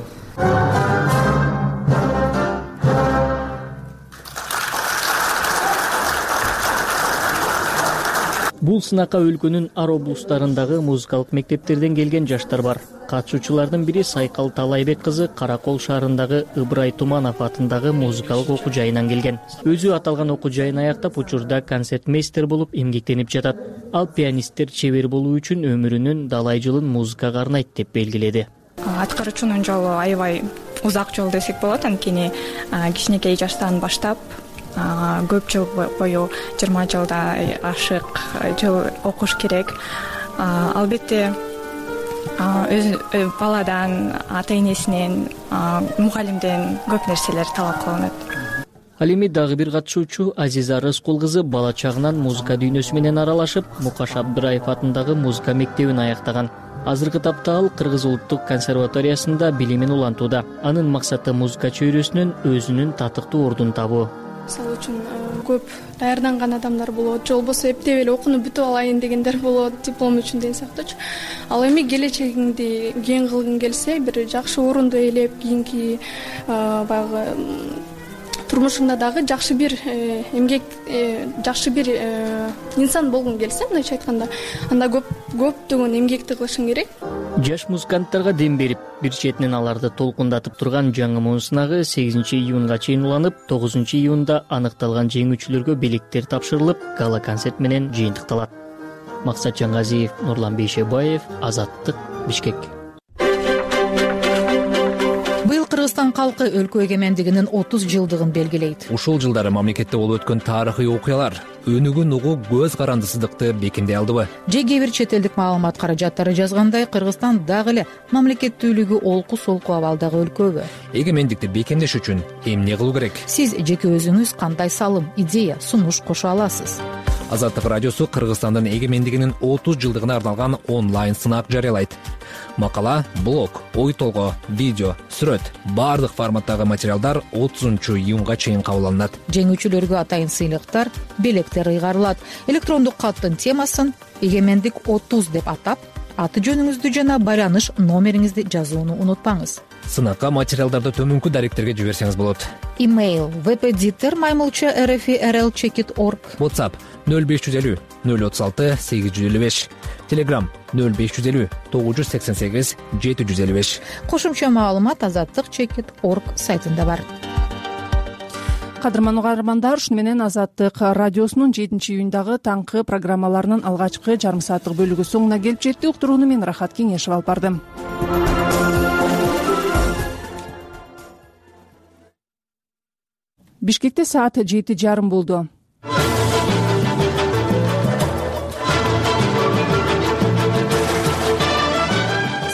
Бул сынакка өлкөнүн ар облустарындагы музыкалык мектептерден келген жаштар бар. Катышуучулардын бири Сайкал Талайбек кызы Каракол шаарындагы Ыбырай Туманов атындагы музыкалык окуу жайынан келген. Өзү аталган окуу жайын аяктап, учурда концертмейстер болуп эмгектенип жатат. Ал пианисттер чебер болуу үчүн өмүрүнүн далай жылын музыкага арнайт деп белгиледи. Аткаруучунун жолу аябай узак жол десек болот, анткени кичинекей жаштан баштап көп жыл бою 20 жылдай ашык жыл окуш керек. Албетте өз баладан, ата-энесинен, мугалимден көп нерселер талап кылынат. Ал эми дагы бир катышуучу Азиза Рыскул кызы бала чагынан музыка дүйнөсү менен аралашып, Мукаш Абдыраев атындагы музыка мектебин аяктаган. Азыркы тапта ал Кыргыз улуттук консерваториясында билимин улантууда. Анын максаты музыка чөйрөсүнөн өзүнүн татыктуу ордун табуу. Мисалы үчүн көп даярданган адамдар болот, же болбосо эптеп эле окууну бүтүп алайын дегендер болот, диплом үчүн деген сыяктуучу. Ал эми келечегиңди кең кылгың келсе, бир жакшы орунду ээлеп, кийинки баягы турмушуңда дагы жакшы бир эмгек, жакшы бир инсан болгуң келсе, мындайча айтканда, анда көптөгөн эмгекти кылышың керек. Жаш музыканттарга дем берип, бир четинен аларды толкундатып турган жаңы муун сынагы 8-июнга чейин уланып, 9-июнда аныкталган жеңүүчүлөргө белектер тапшырылып, гала концерт менен жыйынтыкталат. Максат Жаңгазиев, Нурлан Бейшебаев, Азаттык, Бишкек. Быйыл Кыргызстан калкы өлкө эгемендигинин 30 жылдыгын белгилейт. Ушул жылдары мамлекетте болуп өткөн тарыхый окуялар өнүгүн угуу көз карандысыздыкты бекемдей алдыбы? Же кээ бир чет элдик маалымат каражаттары жазгандай, Кыргызстан дагы эле мамлекеттүүлүгү олку-солку абалдагы өлкөбү? Эгемендикти бекемдеш үчүн эмне кылуу керек? Сиз жеке өзүңүз кандай салым, идея, сунуш кошо аласыз? Азаттык радиосу Кыргызстандын эгемендигинин 30 жылдыгына арналган онлайн сынак жарыялайт. Макала, блог, ой толгоо, видео, сүрөт баардык форматтагы материалдар 30-июнга чейин кабыл алынат. Жеңүүчүлөргө атайын сыйлыктар, белектер ыйгарылат. Электрондук каттын темасын Эгемендик 30 деп атап, аты жөнүңүздү жана байланыш номериңизди жазууну унутпаңыз. Сынакка материалдарды төмөнкү даректерге жиберсеңиз болот. Имейл webeditor@rfi.rl.org. WhatsApp 0550 036 855. Telegram 0550 988 755. Кошумча маалымат azatlyk.org сайтында бар. Кадырман угармандар, ушуну менен Азаттык радиосунун 7-июндагы таңкы программаларынын алгачкы жарым сааттык бөлүгү соңуна келип жетти. Уктурууну мен Рахат Кеңешев алып бардым. Бишкекте саат 7:30 болду.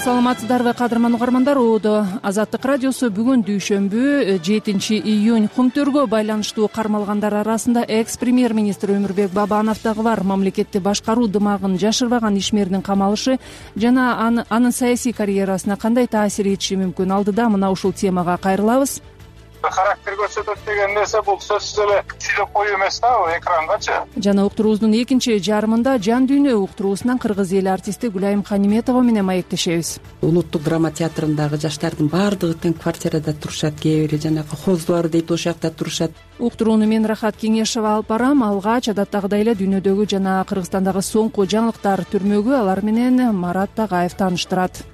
Саламатсыздарбы кадырман угармандар, Азаттык радиосу бүгүн дүйшөмбү 7-июнь Кумтөргө байланыштуу кармалгандар арасында экс-премьер-министр Өмүрбек Бабанов дагы бар. Мамлекетти башкаруу дымагын жашырбаган ишмердин камалышы жана анын саясий карьерасына кандай таасир этиши мүмкүн? Алдыда мына ушул темага кайрылабыз. Характер көрсөтөт деген нерсе бул сөзсүз эле сүйлөп коюу эмес да, экрангачы. Жана уктуруубуздун экинчи жарымында жан дүйнө уктуруусунан кыргыз эли артисти Гүлайым Каниметова менен маектешебиз. Улуттук драма театрындагы жаштардын баардыгы тең квартирада турушат, кээ бири жанагы хоздуар дейт, ошол жакта турушат. Уктурууну мен Рахат Кеңешева алып барам. Алгач адаттагыдай эле дүйнөдөгү жана Кыргызстандагы соңку жаңылыктар түрмөгү алар менен Марат Тагаев тааныштырат.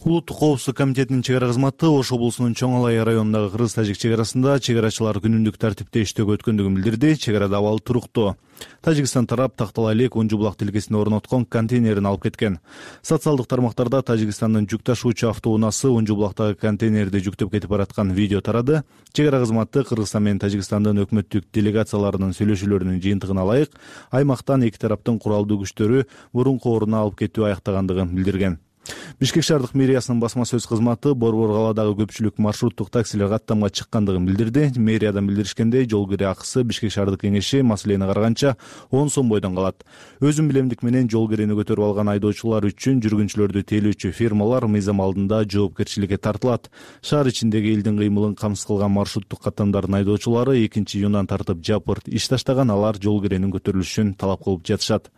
Улуттук коопсуздук комитетинин чек ара кызматы Ош облусунун Чоң Алай районундагы кыргыз-тажик чек арасында чек арачылар күнүмдүк тартипте иштөөгө өткөндүгүн билдирди. Чек арада абал туруктуу. Тажикстан тарап Тактала элек Унжу булак тилкесине орноткон контейнерин алып кеткен. Социалдык тармактарда Тажикстандын жүк ташуучу автоунаасы Унжу булактагы контейнерди жүктөп кетип бараткан видео тарады. Чек ара кызматы Кыргызстан менен Тажикстандын өкмөттүк делегацияларынын сөйлөшүүлөрүнүн жыйынтыгына ылайык аймактан эки тараптын куралдуу күчтөрү мурунку ордуна алып кетүү аяктагандыгын билдирген. Бишкек шаардык мэриясынын басма сөз кызматы Борбор калаадагы көпчүлүк маршруттук таксилер каттамга чыккандыгын билдирди. Мэриядан билдиришкендей, жол кире акысы Бишкек шаардык кеңеши маселени караганча 10 сом бойдон калат. Өзүн билемдик менен жол кирени көтөрүп алган айдоочулар үчүн жүргүнчүлөрдү тейлөөчү фирмалар мыйзам алдында жоопкерчиликке тартылат. Шаар ичиндеги элдин кыймылын камсыз кылган маршруттук каттамдардын айдоочулары 2-июндан тартып жапырт иш таштаган, алар жол киренин көтөрүлүшүн талап кылып жатышат.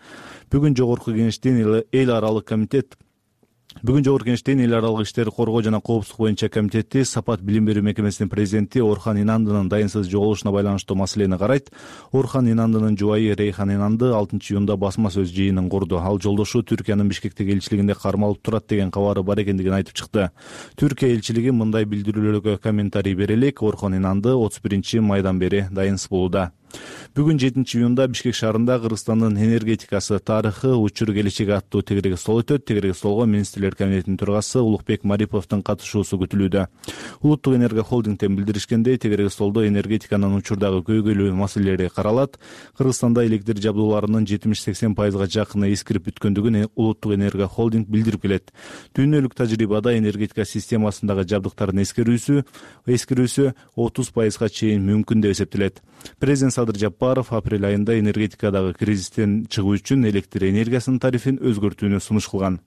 Бүгүн Жогорку кеңештин эл аралык иштер коргоо жана коопсуздук боюнча комитети Сапат билим берүү мекемесинин президенти Орхан Инандынын дайынсыз жоголушуна байланыштуу маселени карайт. Орхан Инандынын жубайы Рейхан Инанды 6-июнда басма сөз жыйынын курду. Ал жолдошу Түркиянын Бишкектеги элчилигинде кармалып турат деген кабары бар экендигин айтып чыкты. Түркия элчилиги мындай билдирүүлөргө комментарий бере элек Орхан Инанды 31-майдан бери дайынсыз болууда. Бүгүн 7-июнда Бишкек шаарында Кыргызстандын энергетикасы тарыхы учур келечеги аттуу тегереги стол өтөт. Тегереги столго министрлер кабинетинин төрагасы Улукбек Мариповдун катышуусу күтүлүүдө. Улуттук энерго холдингден билдиришкендей, тегереги столдо энергетиканын учурдагы көйгөйлүү маселелери каралат. Кыргызстанда электр жабдууларынын 70-80%га жакыны эскирип бүткөндүгүн Улуттук энерго холдинг билдирип келет. Дүйнөлүк тажрыйбада энергетика системасындагы жабдыктардын эскирүүсү 30%га чейин мүмкүн деп эсептелет. Президент Садыр Жапаров апрель айында энергетикадагы кризистен чыгуу үчүн электр энергиясынын тарифин өзгөртүүнү сунуш кылган.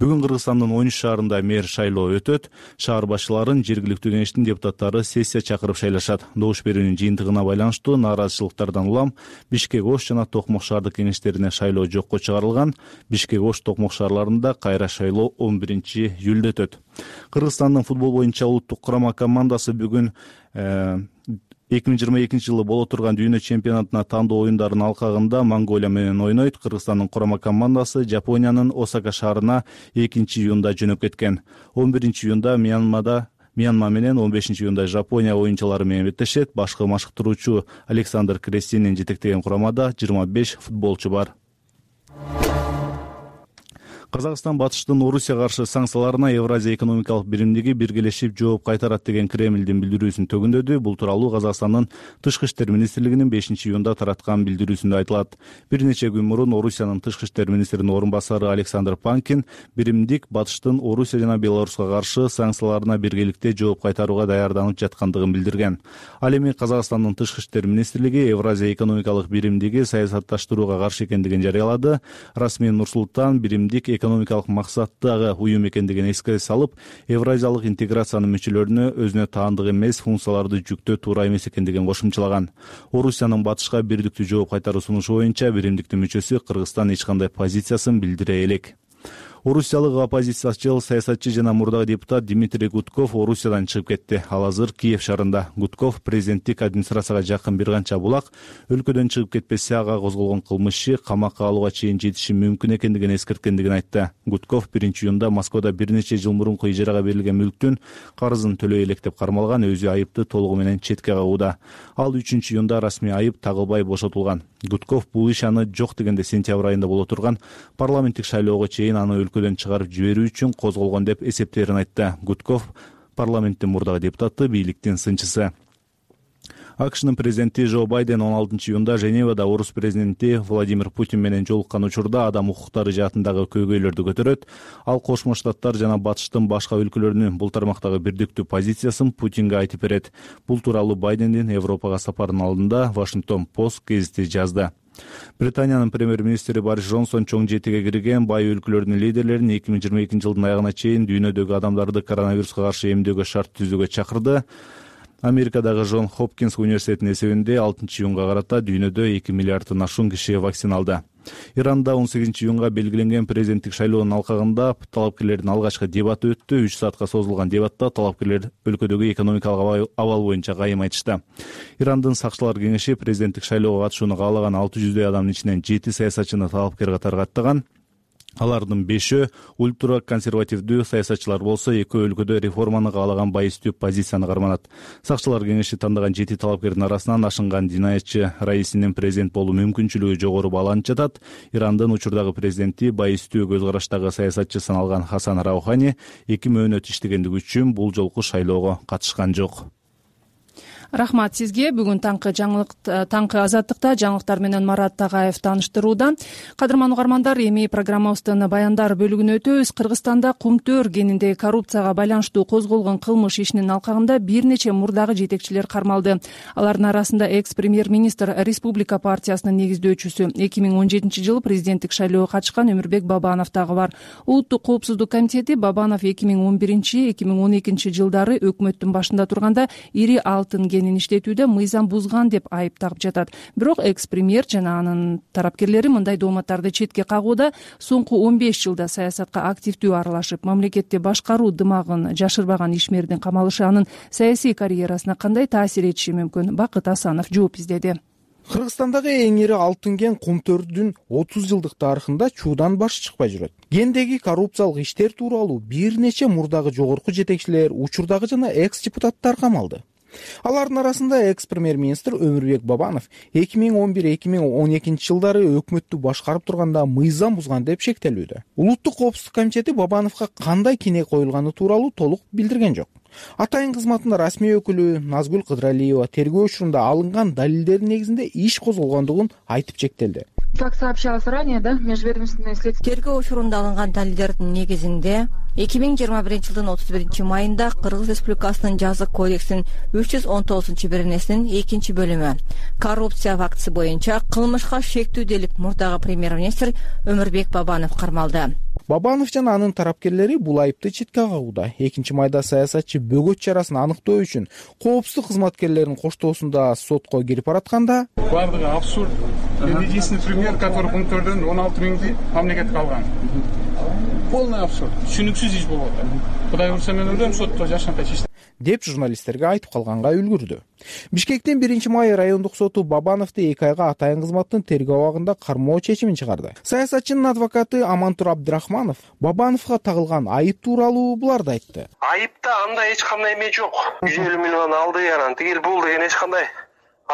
Бүгүн Кыргызстандын 13 шаарында мэр шайлоо өтөт. Шаар башчыларын жергиликтүү кеңештин депутаттары сессия чакырып шайлашат. Добуш берүүнүн жыйынтыгына байланыштуу нааразычылыктардан улам Бишкек Ош жана Токмок шаардык кеңештерине шайлоо жокко чыгарылган. Бишкек Ош Токмок шаарларында кайра шайлоо 11-июлда өтөт. Кыргызстандын футбол боюнча улуттук курама командасы бүгүн 2022 жылы боло турган дүйнө чемпионатына тандоо оюндарынын алкагында Монголия менен ойнойт. Кыргызстандын курама командасы Жапониянын Осака шаарына 2-июнда жөнөп кеткен. 11-июнда Мьянма менен, 15-июнда Жапония оюнчулары менен беттешет. Башкы машыктыруучу Александр Крестинин жетектеген курамада 25 футболчу бар. Казакстан батыштын Орусияга каршы санкцияларына Евразия экономикалык биримдиги биргелешип жооп кайтарат деген Кремлдин билдирүүсүн төгүндөдү. Бул тууралуу Казакстандын Тышкы иштер министрлигинин 5-июнда тараткан билдирүүсүндө айтылат. Бир нече күн мурун Орусиянын Тышкы иштер министринин орун басары Александр Панкин биримдик батыштын Орусия жана Беларуска каршы санкцияларына биргеликте жооп кайтарууга даярданып жаткандыгын билдирген. Ал эми Казакстандын Тышкы иштер министрлиги Евразия экономикалык биримдиги саясатташтырууга каршы экендигин жарыялады. Расмий Нур-Султан биримдик экономикалык максаттагы уюм экендигин эске салып, Евразиялык интеграциянын мүчөлөрүнө өзүнө таандык эмес функцияларды жүктөө туура эмес экендигин кошумчалаган. Орусиянын батышка бирдиктүү жооп кайтаруу сунушу боюнча биримдиктин мүчөсү Кыргызстан эч кандай позициясын билдире элек. Орусиялык оппозициячыл саясатчы жана мурдагы депутат Дмитрий Гудков Орусиядан чыгып кетти. Ал азыр Киев шаарында. Гудков президенттик администрацияга жакын бир канча булак өлкөдөн чыгып кетпесе ага козголгон кылмыш иши камакка алууга чейин жетиши мүмкүн экендигин эскерткендигин айтты. Гудков 1-июнда Москвада бир нече жыл мурунку ижарага берилген мүлктүн карызын төлөй элек деп кармалган, өзү айыпты толугу менен четке кагууда. Ал 3-июнда расмий айып тагылбай бошотулган. Гудков бул иш аны жок дегенде сентябрь айында боло турган парламенттик шайлоого чейин аны өлкөдөн чыгарып жиберүү үчүн козголгон деп эсептээрин айтты. Гудков парламенттин мурдагы депутаты, бийликтин сынчысы. АКШнын президенти Жо Байден 16-июнда Женевада орус президенти Владимир Путин менен жолуккан учурда адам укуктары жаатындагы көйгөйлөрдү көтөрөт. Ал Кошмо Штаттар жана батыштын башка өлкөлөрүнүн бул тармактагы бирдиктүү позициясын Путинге айтып берет. Бул тууралуу Байдендин Европага сапарынын алдында Washington Post гезити жазды. Британиянын премьер-министри Борис Джонсон чоң жетиге кирген бай өлкөлөрдүн лидерлерин 2022 жылдын аягына чейин дүйнөдөгү адамдарды коронавируска каршы эмдөөгө шарт түзүүгө чакырды. Америкадагы Джон Хопкинс университетинин эсебинде 6-июнга карата дүйнөдө 2 миллиардтан ашуун киши вакциналды. Иранда 18-июнга белгиленген президенттик шайлоонун алкагында талапкерлердин алгачкы дебаты өттү. 3 саатка созулган дебатта талапкерлер өлкөдөгү экономикалык абал боюнча кайым айтышты. Ирандын сакчылар кеңеши президенттик шайлоого катышууну каалаган 600 адамдын ичинен 7 саясатчыны талапкер катары аттаган. Алардын 5-өө ультра консервативдүү саясатчылар болсо, 2 өлкөдө реформаны каалаган байыстүү позицияны карманат. Сакчылар кеңеши тандаган 7 талапкердин арасынан ашынган динаятчы Раисинин президент болуу мүмкүнчүлүгү жогору бааланып жатат. Ирандын учурдагы президенти байыстүү көз караштагы саясатчы саналган Хасан Раухани 2 мөөнөт иштегендиги үчүн бул жолку шайлоого катышкан жок. Рахмат сизге. Бүгүн таңкы азаттыкта жаңылыктар менен Марат Тагаев тааныштырууда. Кадырман угармандар, эми программабыздын баяндар бөлүгүнө өтөбүз. Кыргызстанда Кумтөр кениндеги коррупцияга байланыштуу козголгон кылмыш ишинин алкагында бир нече мурдагы жетекчилер кармалды. Алардын арасында экс-премьер-министр Республика партиясынын негиздөөчүсү, 2017 жылы президенттик шайлоого катышкан Өмүрбек Бабанов дагы бар. Улуттук коопсуздук комитети Бабанов 2011-2012 жылдары өкмөттүн башында турганда ири алтын иштетүүдө мыйзам бузган деп айып тагып жатат. Бирок экс-премьер жана анын тарапкерлери мындай дооматтарды четке кагууда. Соңку 15 жылда саясатка активдүү аралашып, мамлекетти башкаруу дымагын жашырбаган ишмердин камалышы анын саясий карьерасына кандай таасир этиши мүмкүн? Бакыт Асанов жооп издеди. Кыргызстандагы эң ири алтын кен Кумтөрдүн 30 жылдык тарыхында чуудан баш чыкпай жүрөт. Кендеги коррупциялык иштер тууралуу бир нече мурдагы жогорку жетекчилер, учурдагы жана экс-депутаттар камалды. Алардын арасында экс-премьер-министр Өмүрбек Бабанов 2011-2012 жылдары өкмөттү башкарып турганда мыйзам бузган деп шектелүүдө. Улуттук коопсуздук комитети Бабановго кандай кине коюлганы тууралуу толук билдирген жок. Атайын кызматынын расмий өкүлү Назгүл Кыдыралиева тергөө учурунда алынган далилдердин негизинде иш козголгондугун айтып чектелди. Как сообщалось ранее, межведомственное следствие. Тергөө учурунда алынган далилдердин негизинде 2021 жылдын 31 майында Кыргыз Республикасынын жазык кодексинин 319-беренесинин 2-бөлүмү коррупция фактысы боюнча кылмышка шектүү делип мурдагы премьер-министр Өмүрбек Бабанов кармалды. Бабанов жана анын тарапкерлери бул айыпты четке кагууда. 2 майда саясатчы бөгөт чарасын аныктоо үчүн коопсуздук кызматкерлеринин коштоосунда сотко кирип баратканда бардыгы абсурд. Единственный пример, который Кумтөрдөн 16 миңди мамлекетке алган. Полный абсурд. Түшүнүксүз иш болуп атат. Кудай урса мен ойлойм сотто жашанкай чечти деп журналисттерге айтып калганга үлгүрдү. Бишкектин 1 май райондук соту Бабановду 2 айга атайын кызматтын тергөө абагында кармоо чечимин чыгарды. Саясатчынын адвокаты Амантур Абдрахманов Бабановго тагылган айып тууралуу буларды айтты. Айыпта андай эч кандай эме жок. 150 миллион алды, анан тигил бул деген эч кандай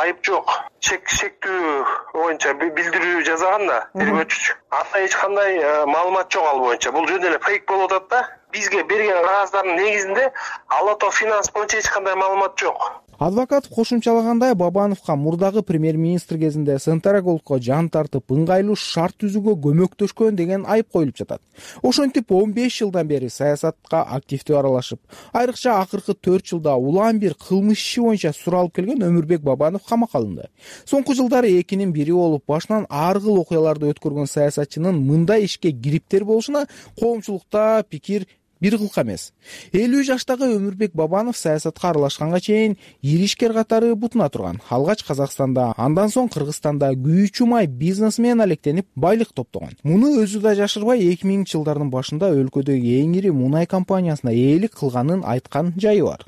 айып жок. Шектүү боюнча билдирүү жасаган да тергөөчү. Анда эч кандай маалымат жок ал боюнча. Бул жөн эле фейк болуп атат да. Бизге берген кагаздардын негизинде Ала Тоо финанс боюнча эч кандай маалымат жок. Адвокат кошумчалагандай, Бабановго мурдагы премьер-министр кезинде Сентрагулдко жан тартып, ыңгайлуу шарт түзүүгө көмөктөшкөн деген айып коюлуп жатат. Ошентип 15 жылдан бери саясатка активдүү аралашып, айрыкча акыркы 4 жылда улам бир кылмыш иши боюнча суралып келген Өмүрбек Бабанов камакка алынды. Соңку жылдары экинин бири болуп, башынан ар кыл окуяларды өткөргөн саясатчынын мындай ишке кириптер болушуна коомчулукта пикир бир кылка эмес. 50 жаштагы Өмүрбек Бабанов саясатка аралашканга чейин ири ишкер катары бутуна турган. Алгач Казакстанда, андан соң Кыргызстанда күйүүчү май бизнеси менен алектенип байлык топтогон. Муну өзү да жашырбай 2000-жылдардын башында өлкөдөгү эң ири мунай компаниясына ээлик кылганын айткан жайы бар.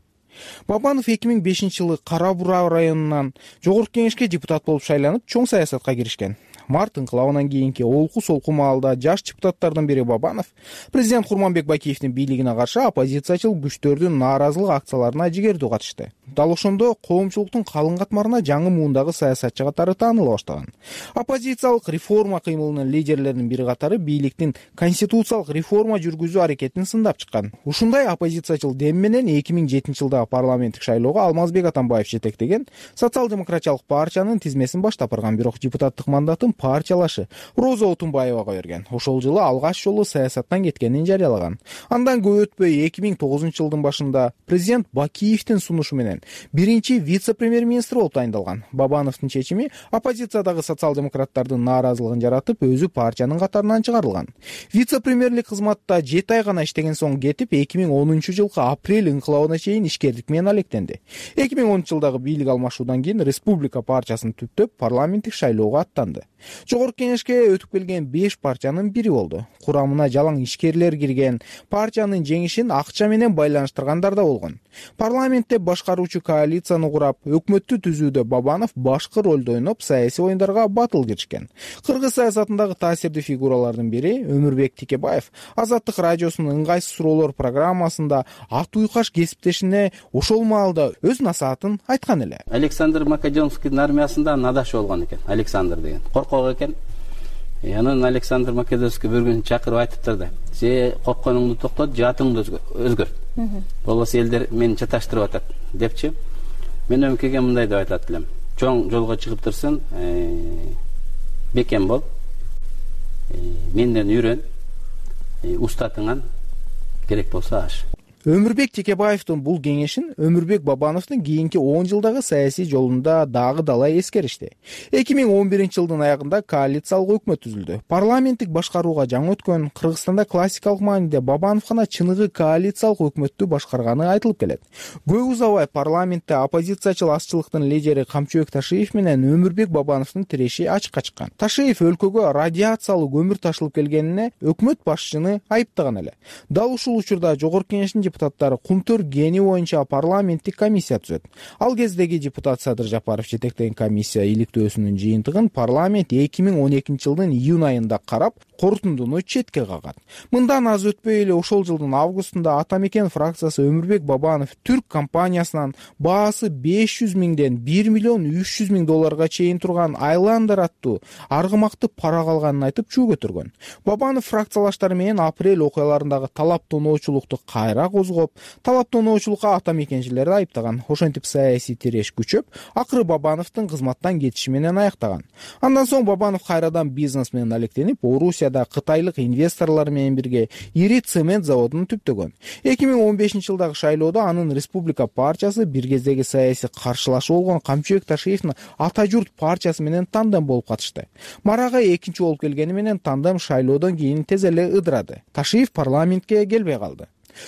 Бабанов 2005-жылы Кара Бура районунан Жогорку Кеңешке депутат болуп шайланып, чоң саясатка киришкен. Март инкылабынан кийинки олку-солку маалда жаш депутаттардын бири Бабанов президент Курманбек Бакиевдин бийлигине каршы оппозициячыл күчтөрдүн нааразылык акцияларына жигердүү катышты. Дал ошондо коомчулуктун калың катмарына жаңы муундагы саясатчы катары тааныла баштаган. Оппозициялык реформа кыймылынын лидерлеринин бири катары бийликтин конституциялык реформа жүргүзүү аракетин сындап чыккан. Ушундай оппозициячыл дем менен 2007-жылдагы парламенттик шайлоого Алмазбек Атамбаев жетектеген социал-демократиялык партиянын тизмесин баштап барган, бирок депутаттык мандатын партиялашы Роза Отунбаевага берген. Ошол жылы алгач жолу саясаттан кеткенин жарыялаган. Андан көп өтпөй 2009-жылдын башында президент Бакиевдин сунушу менен биринчи вице-премьер-министр болуп тайындалган. Бабановдун чечими оппозициядагы социал-демократтардын нааразылыгын жаратып, өзү партиянын катарынан чыгарылган. Вице-премьерлик кызматта 7 ай гана иштеген соң кетип, 2010-жылкы апрель инкылабына чейин ишкерлик менен алектенди. 2010-жылдагы бийлик алмашуудан кийин Республика партиясын түптөп парламенттик шайлоого аттанды. Жогорку Кеңешке өтүп келген 5 партиянын бири болду. Курамына жалаң ишкерлер кирген, партиянын жеңишин акча менен байланыштыргандар да болгон. Парламентте башкаруучу коалицияны курап, өкмөттү түзүүдө Бабанов башкы ролду ойноп, саясий оюндарга батыл киришкен. Кыргыз саясатындагы таасирдүү фигуралардын бири Өмүрбек Тикебаев Азаттык радиосунун ыңгайсыз суроолор программасында ат уйкаш кесиптешине ошол маалда өз насаатын айткан эле. Александр Македонскийдин армиясында надаш болгон экен, Александр деген. Коркок экен. Анан Александр Македонский бір күн чакырып айтыптыр да: "Се коркконуңду токтот, жатыңды өзгөрт. Болбосо элдер мени чаташтырып атат" депчи. Мен өңкеге мындай деп айтат элем: "Чоң жолго чыгып турсун, бекем бол. Менден үйрөн. Устатыңан керек болсо аш." Өмүрбек Тикебаевдин бул кеңешин Өмүрбек Бабановдун кийинки 10 жылдагы саясий жолунда дагы далай эскеришти. 2011-жылдын аягында коалициялык өкмөт түзүлдү. Парламенттик башкарууга жаңы өткөн Кыргызстанда классикалык мааниде Бабанов гана чыныгы коалициялык өкмөттү башкарганы айтылып келет. Көп узабай парламентте оппозициячыл азчылыктын лидери Камчыбек Ташиев менен Өмүрбек Бабановдун тиреши ачыкка чыккан. Ташиев өлкөгө радиациялуу көмүр ташылып келгенине өкмөт башчыны айыптаган эле. Дал ушул учурда Жогорку Кеңештин депутаттары Кумтөр гени боюнча парламенттик комиссия түзөт. Ал кездеги депутат Садыр Жапаров жетектеген комиссия иликтөөсүнүн жыйынтыгын парламент 2012-жылдын июнь айында карап, корутундуну четке кагат. Мындан аз өтпөй эле ошол жылдын августунда Атамекен фракциясы Өмүрбек Бабанов түрк компаниясынан баасы 500 миңден 1 миллион 300 миң долларга чейин турган Айландер аттуу аргымакты пара калганын айтып чүү көтөргөн. Бабанов фракциялаштары менен апрель окуяларындагы талаптоноочулукту кайра козгоп, талаптоноочулукка атамекенчилерди айыптаган. Ошентип саясий тиреш күчөп, акыры Бабановдун кызматтан кетиши менен аяктаган. Андан соң Бабанов кайрадан бизнес менен алектенип, Орусияда кытайлык инвесторлор менен бирге ири цемент заводун түптөгөн. 2015-жылдагы шайлоодо анын Республика партиясы бир кездеги саясий каршылашы болгон Камчыбек Ташиевдин Ата журт партиясы менен тандем болуп катышты. Марага экинчи болуп келгени менен тандем шайлоодон кийин тез эле ыдырады. Ташиев парламентке келбей калды.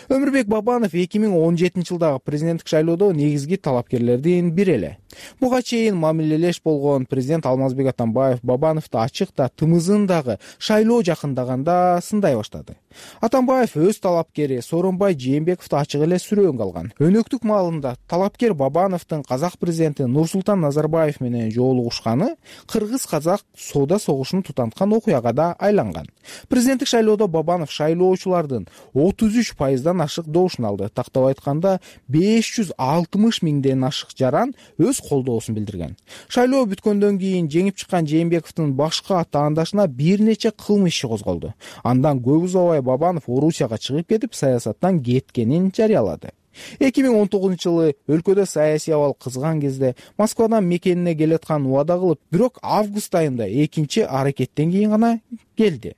Өмүрбек Бабанов 2017-жылдагы президенттик шайлоодо негизги талапкерлердин бири эле. Буга чейин мамилелеш болгон президент Алмазбек Атамбаев Бабановду ачык да тымызын дагы шайлоо жакындаганда сындай баштады. Атамбаев өз талапкери Сооронбай Жээнбековду ачык эле сүрөөнгө алган. Өнөктүк маалында талапкер Бабановдун казак президенти Нурсултан Назарбаев менен жолугушканы кыргыз-казак соода согушун тутанткан окуяга да айланган. Президенттик шайлоодо Бабанов шайлоочулардын 33% пайыздан ашык добушун алды. Тактап айтканда 560 миңден ашык жаран өз колдоосун билдирген. Шайлоо бүткөндөн кийин жеңип чыккан Жээнбековдун башка таандашына бир нече кылмыш иши козголду. Андан көп узабай Бабанов Орусияга чыгып кетип, саясаттан кеткенин жарыялады. 2019-жылы өлкөдө саясий абал кызган кезде Москвадан мекенине келаткан убада кылып, бирок август айында экинчи аракеттен кийин гана келди.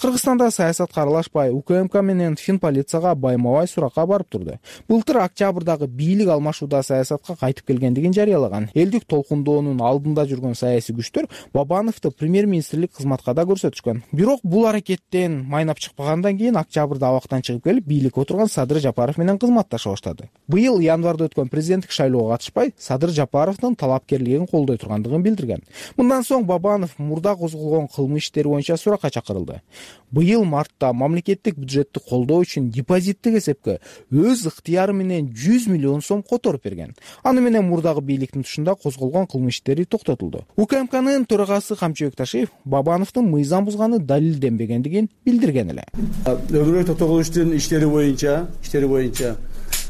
Кыргызстанда саясатка аралашпай, УКМК менен Финполицияга байма-бай суракка барып турду. Былтыр октябрдагы бийлик алмашууда саясатка кайтып келгендигин жарыялаган. Элдик толкундоонун алдында жүргөн саясий күчтөр Бабановду премьер-министрлик кызматка да көрсөтүшкөн. Бирок бул аракеттен майнап чыкпагандан кийин октябрда абактан чыгып келип, бийликке отурган Садыр Жапаров менен кызматташа баштады. Быйыл январда өткөн президенттик шайлоого катышпай, Садыр Жапаровдун талапкерлигин колдой тургандыгын билдирген. Мындан соң Бабанов мурда козголгон кылмыш иштери боюнча суракка чакырылды. Быйыл мартта мамлекеттик бюджетти колдоо үчүн депозиттик эсепке өз ыктыяры менен 100 миллион сом которуп берген. Аны менен мурдагы бийликтин тушунда козголгон кылмыш иштери токтотулду. УКМКнын төрагасы Камчыбек Ташиев Бабановдун мыйзам бузганы далилденбегендигин билдирген эле. Өбүрөй токтогулуштун иштери боюнча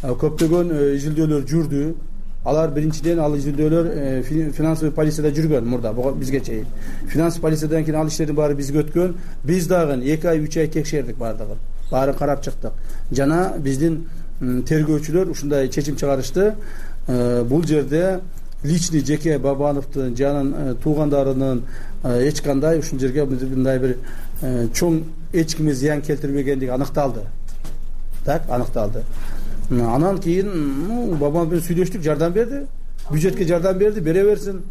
көптөгөн изилдөөлөр жүрдү. Алар биринчиден ал изилдөөлөр финансовый полицияда жүргөн мурда бизге чейин. Финансовый полициядан кийин ал иштердин баары бизге өткөн. Биз дагы 2 ай 3 ай текшердик бардыгын. Баарын карап чыктык. Жана биздин тергөөчүлөр ушундай чечим чыгарышты. Бул жерде личный жеке Бабановдун жанын туугандарынын эч кандай ушул жерге мындай бир чоң эч кимге зыян келтирбегендиги аныкталды. Так, аныкталды. Анан кийин Бабанов менен сүйлөштүк, жардам берди. Бюджетке жардам берди, бере берсин.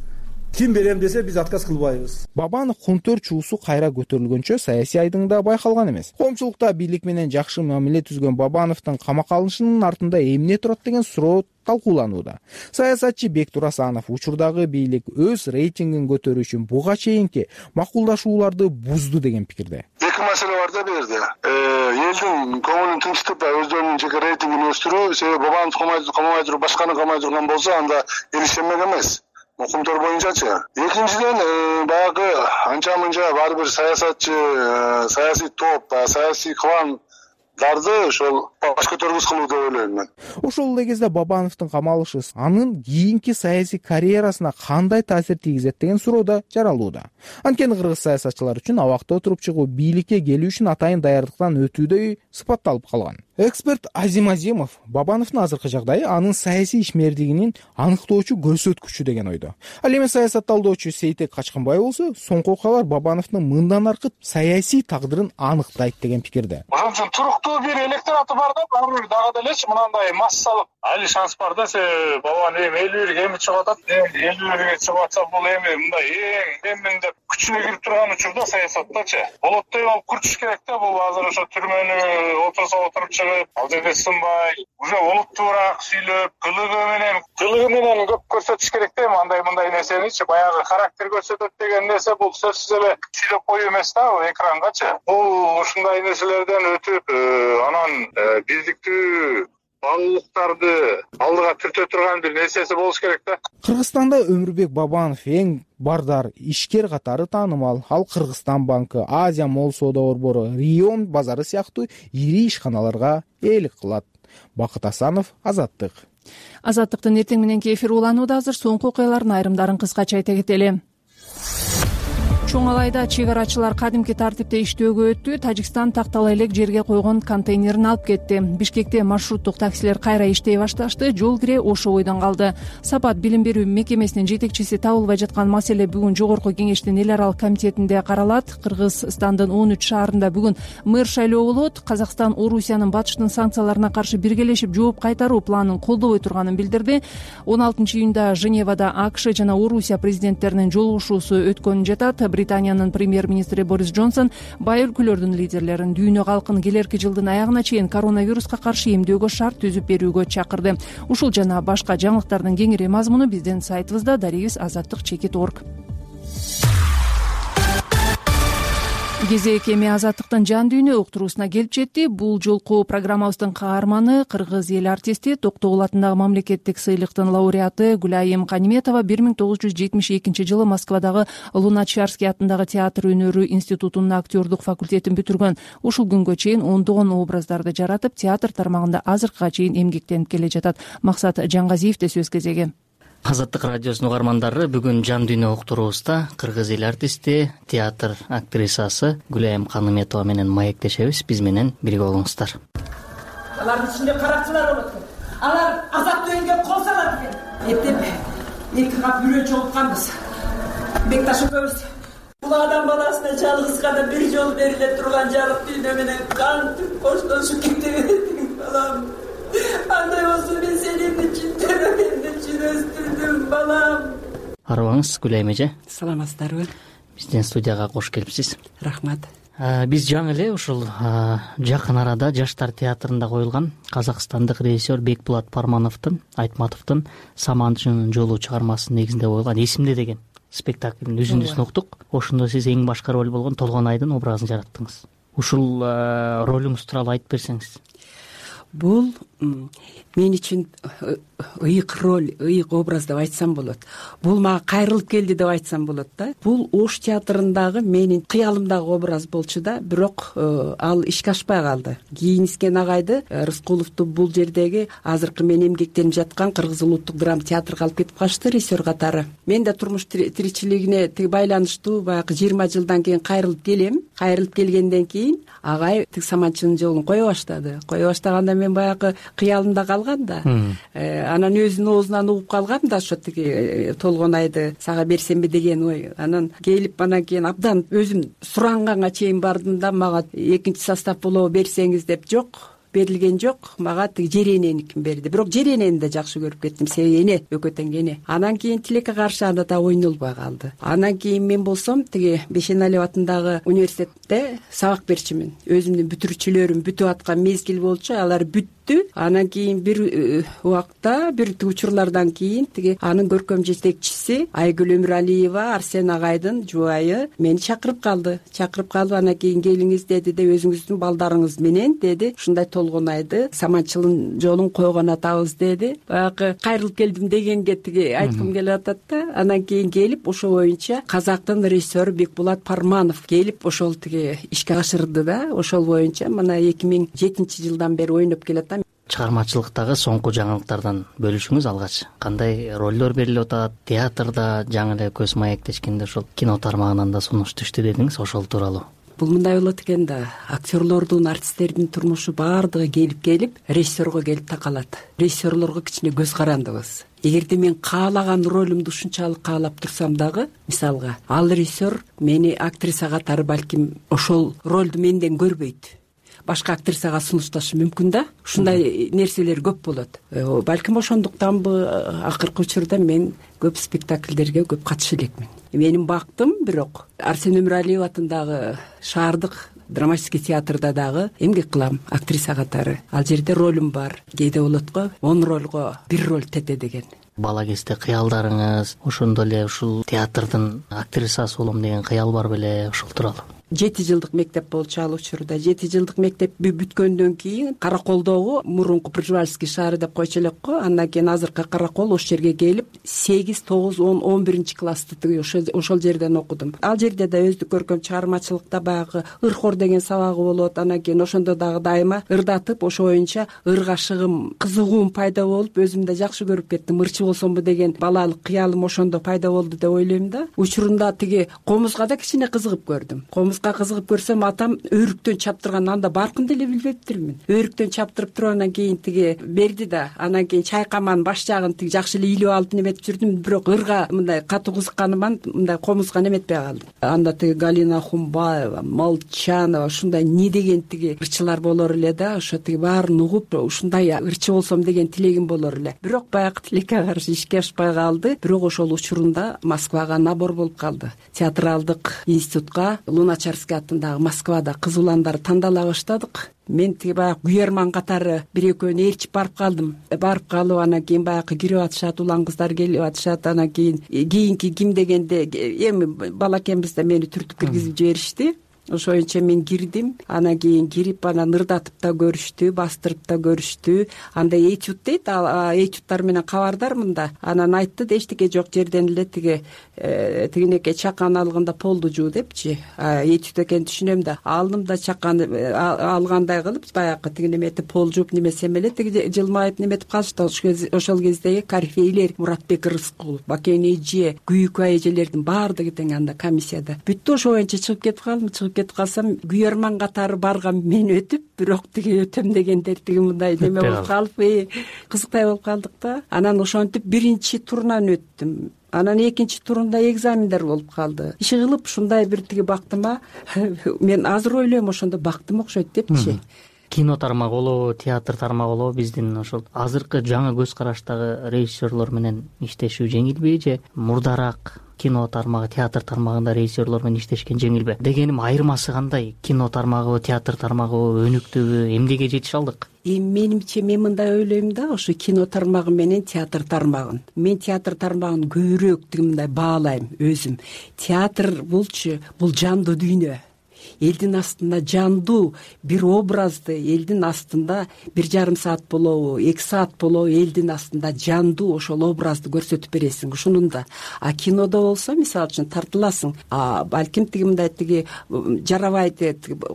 Ким берем десе биз отказ кылбайбыз. Бабанов кунтөр чуусу кайра көтөрүлгөнчө саясий айдыңда байкалган эмес. Коомчулукта бийлик менен жакшы мамиле түзгөн Бабановдун камакка алынышынын артында эмне турат деген суроо талкууланууда. Саясатчы Бектур Асанов учурдагы бийлик өз рейтингин көтөрүү үчүн буга чейинки макулдашууларды бузду деген пикирде. Эки маселе бар да бул жерде. Элдин көңүлүн тынчтып, өздөрүнүн жеке рейтингин өстүрүү, себеби Бабанов камабай туруп, башканы камабай турган болсо, анда эл ишенмек эмес. Мукумтор боюнчачы. Экинчиден, баягы анча-мынча бар бир саясатчы, саясий топ, саясий кландарды ошол баш көтөргүс кылуу деп ойлойм мен. Ошол эле кезде Бабановдун камалышы анын кийинки саясий карьерасына кандай таасир тийгизет деген суроо да жаралууда. Анткени кыргыз саясатчылар үчүн абакта отуруп чыгуу, бийликке келүү үчүн атайын даярдыктан өтүүдөй сыпатталып калган. Эксперт Азим Азимов Бабановдун азыркы жагдайы анын саясий ишмердигинин аныктоочу көрсөткүчү деген ойдо. Ал эми саясатталдоочу Сейтек Качканбаев болсо, соңку окуялар Бабановдун мындан аркы саясий тагдырын аныктайт деген пикирде. Ошон үчүн туруктуу бир электораты бар да, баары дагы делечи мынандай массалык али шанс бар да, Бабанов эми 51 эми чыгып атат. 51ге чыгып атса бул эми мындай эми деп күчүнө кирип турган учурда саясаттачы. Болоттой болуп күрчүш керек да, бул азыр ошо түрмөнү отуруп чыгып, ал жерде сынбай, уже олуттуураак сүйлөп, кылыгы менен көп көрсөтүш керек да, мындай нерсеничи, баягы характер көрсөтөт деген нерсе бул сөзсүз эле сүйлөп коюу эмес да, экрангачы. Бул ушундай нерселерден өтүп, анан биздиктүү багуулуктарды алдыга түртө турган бир нерсеси болуш керек да. Кыргызстанда Өмүрбек Бабанов эң бардар ишкер катары таанымал. Ал Кыргызстан банкы, Азия Мол соода борбору, Рион базары сыяктуу ири ишканаларга ээлик кылат. Бакыт Асанов, Азаттык. Азаттыктын эртең мененки эфир уланууда. Азыр соңку окуялардын айрымдарын кыскача айта кетели. Чоң Алайда чек арачылар кадимки тартипте иштөөгө өттү. Тажикстан тактала элек жерге койгон контейнерин алып кетти. Бишкекте маршруттук таксилер кайра иштей башташты. Жол кире ошо бойдон калды. Сапат билим берүү мекемесинин жетекчиси табылбай жаткан маселе бүгүн Жогорку кеңештин эл аралык комитетинде каралат. Кыргызстандын 13 шаарында бүгүн мэр шайлоо болот. Казакстан Орусиянын батыштын санкцияларына каршы биргелешип жооп кайтаруу планын колдобой турганын билдирди. 16-июнда Женевада АКШ жана Орусия президенттеринин жолугушуусу өткөнүн жатат. Британиянын премьер-министри Борис Джонсон бай өлкөлөрдүн лидерлерин дүйнө калкын келерки жылдын аягына чейин коронавируска каршы эмдөөгө шарт түзүп берүүгө чакырды. Ушул жана башка жаңылыктардын кеңири мазмуну биздин сайтыбызда дарегиз азаттык.org. кезек эми азаттыктын жан дүйнө уктуруусуна келип жетти. Бул жолку программабыздын каарманы кыргыз эл артисти, Токтогул атындагы мамлекеттик сыйлыктын лауреаты Гүлайым Каниметова 1972 жылы Москвадагы Луначарский атындагы театр өнөрү институтунун актерлук факультетин бүтүргөн. Ушул күнгө чейин ондогон образдарды жаратып, театр тармагында азыркыга чейин эмгектенип келе жатат. Максат Жаңгазиевде сөз кезеги. Азаттык радиосунун угармандары, бүгүн жан дүйнө уктуруубузда кыргыз эл артисти, театр актрисасы Гүлайым Каниметова менен маектешебиз. Биз менен бирге болуңуздар. Алардын ичинде каракчылар болот экен. Алар азаттуу элге кол салат экен. Эптеп эки кап үрө чогултканбыз. Бекташ экөөбүз бул адам баласына жалгыз гана бир жолу бериле турган жарык дүйнө менен кантип коштошуп кетти балам. Андай болсо мен сени чын жүрөгүмдө өстүрдүм балам. Арыбаңыз Гүлайым эже. Саламатсыздарбы? Биздин студияга кош келипсиз. Рахмат. Биз жаңы эле ушул жакын арада Жаштар театрында коюлган казакстандык режиссер Бекбулат Пармановдун Айтматовдун Саманчынын жолу чыгармасынын негизинде коюлган Эсимде деген спектаклдин үзүндүсүн уктук. Ошондо сиз эң башкы роль болгон Толгонайдын образын жараттыңыз. Ушул ролуңуз тууралуу айтып берсеңиз. Бул мен үчүн ыйык роль, ыйык образ деп айтсам болот. Бул мага кайрылып келди деп айтсам болот да. Бул Ош театрындагы менин кыялымдагы образ болчу да, бирок ал ишке ашпай калды. Кийинискен агайды Рыскуловду бул жердеги азыркы мен эмгектенип жаткан Кыргыз улуттук драма театрга алып кетип калышты режиссер катары. Мен да турмуш тиричилигине байланыштуу баягы 20 жылдан кийин кайрылып келем. Кайрылып келгенден кийин агай Саманчынын жолун кое баштады. Кое баштаганда мен баягы кыялымда калгам да. Анан өзүнүн оозунан угуп калгам да, ошо тиги Толгонайды сага берсемби деген ой. Анан келип анан кийин абдан өзүм суранганга чейин бардым да, мага экинчи состав болобу берсеңиз деп, жок, берилген жок. Мага тиги Жерененикин берди. Бирок Жеренени да жакшы көрүп кеттим, себеби эне, экөө тең эне. Анан кийин Тилекке каршы анда да ойнолбой калды. Анан кийин мен болсом тиги Бешеналиев атындагы университетте сабак берчүмүн. Өзүмдүн бүтүрүүчүлөрүм бүтүп аткан мезгил болчу, алар бүттү. Анан кийин бир убакта, бир учурлардан кийин тиги анын көркөм жетекчиси Айгүл Өмүралиева, Арсен агайдын жубайы мени чакырып калды. Чакырып калып, анан кийин келиңиз деди де, өзүңүздүн балдарыңыз менен деди, ушундай Толгонайды Саманчылын жолун койгон атабыз деди. Баягы кайрылып келдим дегенге тиги айткым келип атат да. Анан кийин келип ошо боюнча казактын режиссеру Бекбулат Парманов келип ошол тиги ишке ашырды да. Ошол боюнча мына 2007 жылдан бери ойноп келатам. Чыгармачылыктагы соңку жаңылыктардан бөлүшүңүз алгач. Кандай ролдор берилип атат? Театрда жаңы эле көз маектешкенде ошол кино тармагынан да сунуш түштү дедиңиз, ошол тууралуу. Бул мындай болот экен да, актерлордун, артисттердин турмушу баардыгы келип режиссерго келип такалат. Режиссерлорго кичине көз карандыбыз. Эгерде мен каалаган ролумду ушунчалык каалап турсам дагы, мисалга, ал режиссер мени актриса катары балким ошол ролду менден көрбөйт. Башка актрисага сунушташы мүмкүн да. Ушундай нерселер көп болот. Балким ошондуктанбы акыркы учурда мен көп спектакльдерге көп катыша элекмин. Менин бактым, бирок Арсен Өмүралиев атындагы шаардык драматический театрда дагы эмгек кылам актриса катары. Ал жерде ролум бар. Кээде болот го 10 ролго 1 роль тете деген. Бала кезде кыялдарыңыз, ошондо эле ушул театрдын актрисасы болом деген кыял бар беле, ошол тууралуу? 7 жылдык мектеп болчу ал учурда. 7 жылдык мектеп бүткөндөн кийин Караколдогу мурунку Пржевальский шаары деп койчу элек го. Андан кийин азыркы Каракол ошол жерге келип 8, 9, 10, 11 классты ошол жерден окудум. Ал жерде да өздүк көркөм чыгармачылыкта баягы ыр-хор деген сабагы болот. Анан кийин ошондо дагы дайыма ырдатып, ошо боюнча ыргашыгым, кызыгуум пайда болуп, өзүм да жакшы көрүп кеттим. Ырчы болсомбу деген балалык кыялым ошондо пайда болду деп ойлойм да. Учурунда тиги комузга да кичине кызыгып көрдүм. Кызыгып көрсөм, атам өрүктөн чаптырган, анда баркын деле билбептирмин. Өрүктөн чаптырып туруп анан кийин тиги берди да, анан кийин чайкаманын баш жагын тиги жакшы эле илип алып неметип жүрдүм, бирок ырга мындай катуу кызыкканыман мындай комузга неметпей калдым. Анда тиги Галина Хумбаева, Молчанова, ушундай не деген тиги ырчылар болор эле да, ошо тиги баарын угуп, ушундай ырчы болсом деген тилегим болор эле. Бирок баягы тилекке каршы ишке ашпай калды. Бирок ошол учурунда Москвага набор болуп калды. Театралдык институтка Луначарский атындагы Москвада кыз уландар тандала баштадык. Мен тиги баягы күйөрман катары бир экөөнү ээрчип барып калдым. Барып калып анан кийин баягы кирип атышат, улан кыздар келип атышат. Анан кийинки ким дегенде эми бала экенбиз да мени түртүп киргизип жиберишти. ошоюнча мен кирдим. Анан кийин кирип анан ырдатып да көрүштү, бастырып да көрүштү. Анда этюд дейт, этюдтар менен кабардармын да. Анан айтты да эчтеке жок, жерден эле тигинеке чакан алганда полду жуу депчи. Этюд экенин түшүнөм да. Алдым да чаканы алгандай кылып баягы тиги неметип пол жууп немесем эле тиги жылмайып неметип калышты. Ошол кездеги корифейлер Муратбек Рыскулов, Бакен эже, Күйүкай эжелердин баардыгы тең анда комиссияда. Бүттү, ошо боюнча чыгып кетип калдым. Чыгып кетип калсам күйөрман катары барган мен өтүп, бирок тиги өтөм дегендер тиги мындай неме болуп калып, кызыктай болуп калдык да. Анан ошентип биринчи турунан өттүм. Анан экинчи турунда экзамендер болуп калды. Иши кылып ушундай бир тиги бактыма мен азыр ойлойм, ошондо бактым окшойт депчи. Кино тармагы болобу, театр тармагы болобу, биздин ошол азыркы жаңы көз караштагы режиссерлор менен иштешүү жеңилби же мурдараак кино тармагы, театр тармагында режиссерлор менен иштешкен жеңилби? Дегеним, айырмасы кандай? Кино тармагыбы, театр тармагыбы, өнүктүбү, эмнеге жетише алдык? Менимче мен мындай ойлойм да, ошо кино тармагы менен театр тармагын. Мен театр тармагын көбүрөөк мындай баалайм өзүм. Театр бул жандуу дүйнө. Элдин астында жандуу бир образды, элдин астында 1,5 саат болобу, 2 саат болобу, элдин астында жандуу ошол образды көрсөтүп бересиң ушунунда. Кинодо болсо, мисалы үчүн тартыласың. Балким тиги жарабайт,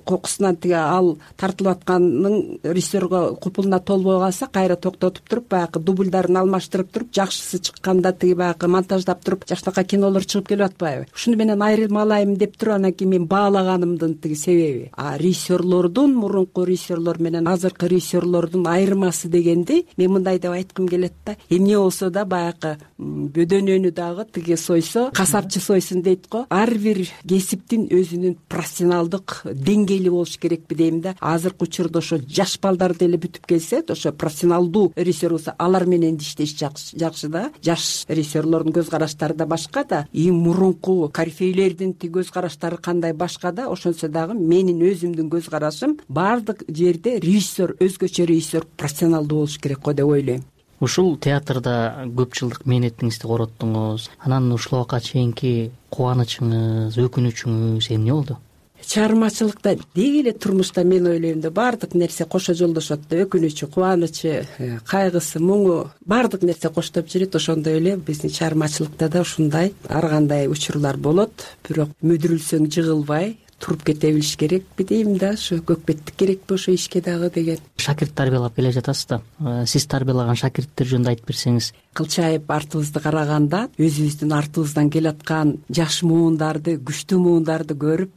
кокусунан ал тартылып атканын режиссерго купулуна толбой калса, кайра токтотуп туруп, баягы дубльдарын алмаштырып туруп, жакшысы чыкканда баягы монтаждап туруп, жакшынакай кинолор чыгып келип атпайбы? Ушуну менен айырмалайм деп туруп, анан кийин мен баалаганым тиги себеби. Режиссерлордун, мурунку режиссерлор менен азыркы режиссерлордун айырмасы дегенди мен мындай деп айткым келет да. Эмне болсо да баягы бөдөнөнү дагы тиги сойсо, касапчы сойсун дейт го. Ар бир кесиптин өзүнүн профессионалдык деңгээли болуш керекпи дейм да. Азыркы учурда ошо жаш балдар деле бүтүп келсе, ошо профессионалдуу режиссер болсо, алар менен иштеш жакшы да. Жаш режиссерлордун көз караштары да башка да. Мурунку корифейлердин көз караштары кандай башка да. Ошонсо дагы менин өзүмдүн көз карашым баардык жерде режиссер, өзгөчө режиссер профессионалдуу болуш керек го деп ойлойм. Ушул театрда көп жылдык мээнетиңизди короттуңуз. Анан ушул убакка чейинки кубанычыңыз, өкүнүчүңүз эмне болду? Чыгармачылыкта деги эле турмушта мен ойлойм да баардык нерсе кошо жолдошот да. Өкүнүчү, кубанычы, кайгысы, муңу баардык нерсе коштоп жүрөт. Ошондой эле биздин чыгармачылыкта да ушундай ар кандай учурлар болот. Бирок мүдүрүлсөң жыгылбай туруп кете билиш керекпи дейм да. Ошо көкпеттик керекпи ошо ишке дагы деген. Шакирт тарбиялап келе жатасыз да. Сиз тарбиялаган шакирттер жөнүндө айтып берсеңиз. Кылчайып артыбызды караганда өзүбүздүн артыбыздан келаткан жаш муундарды, күчтүү муундарды көрүп,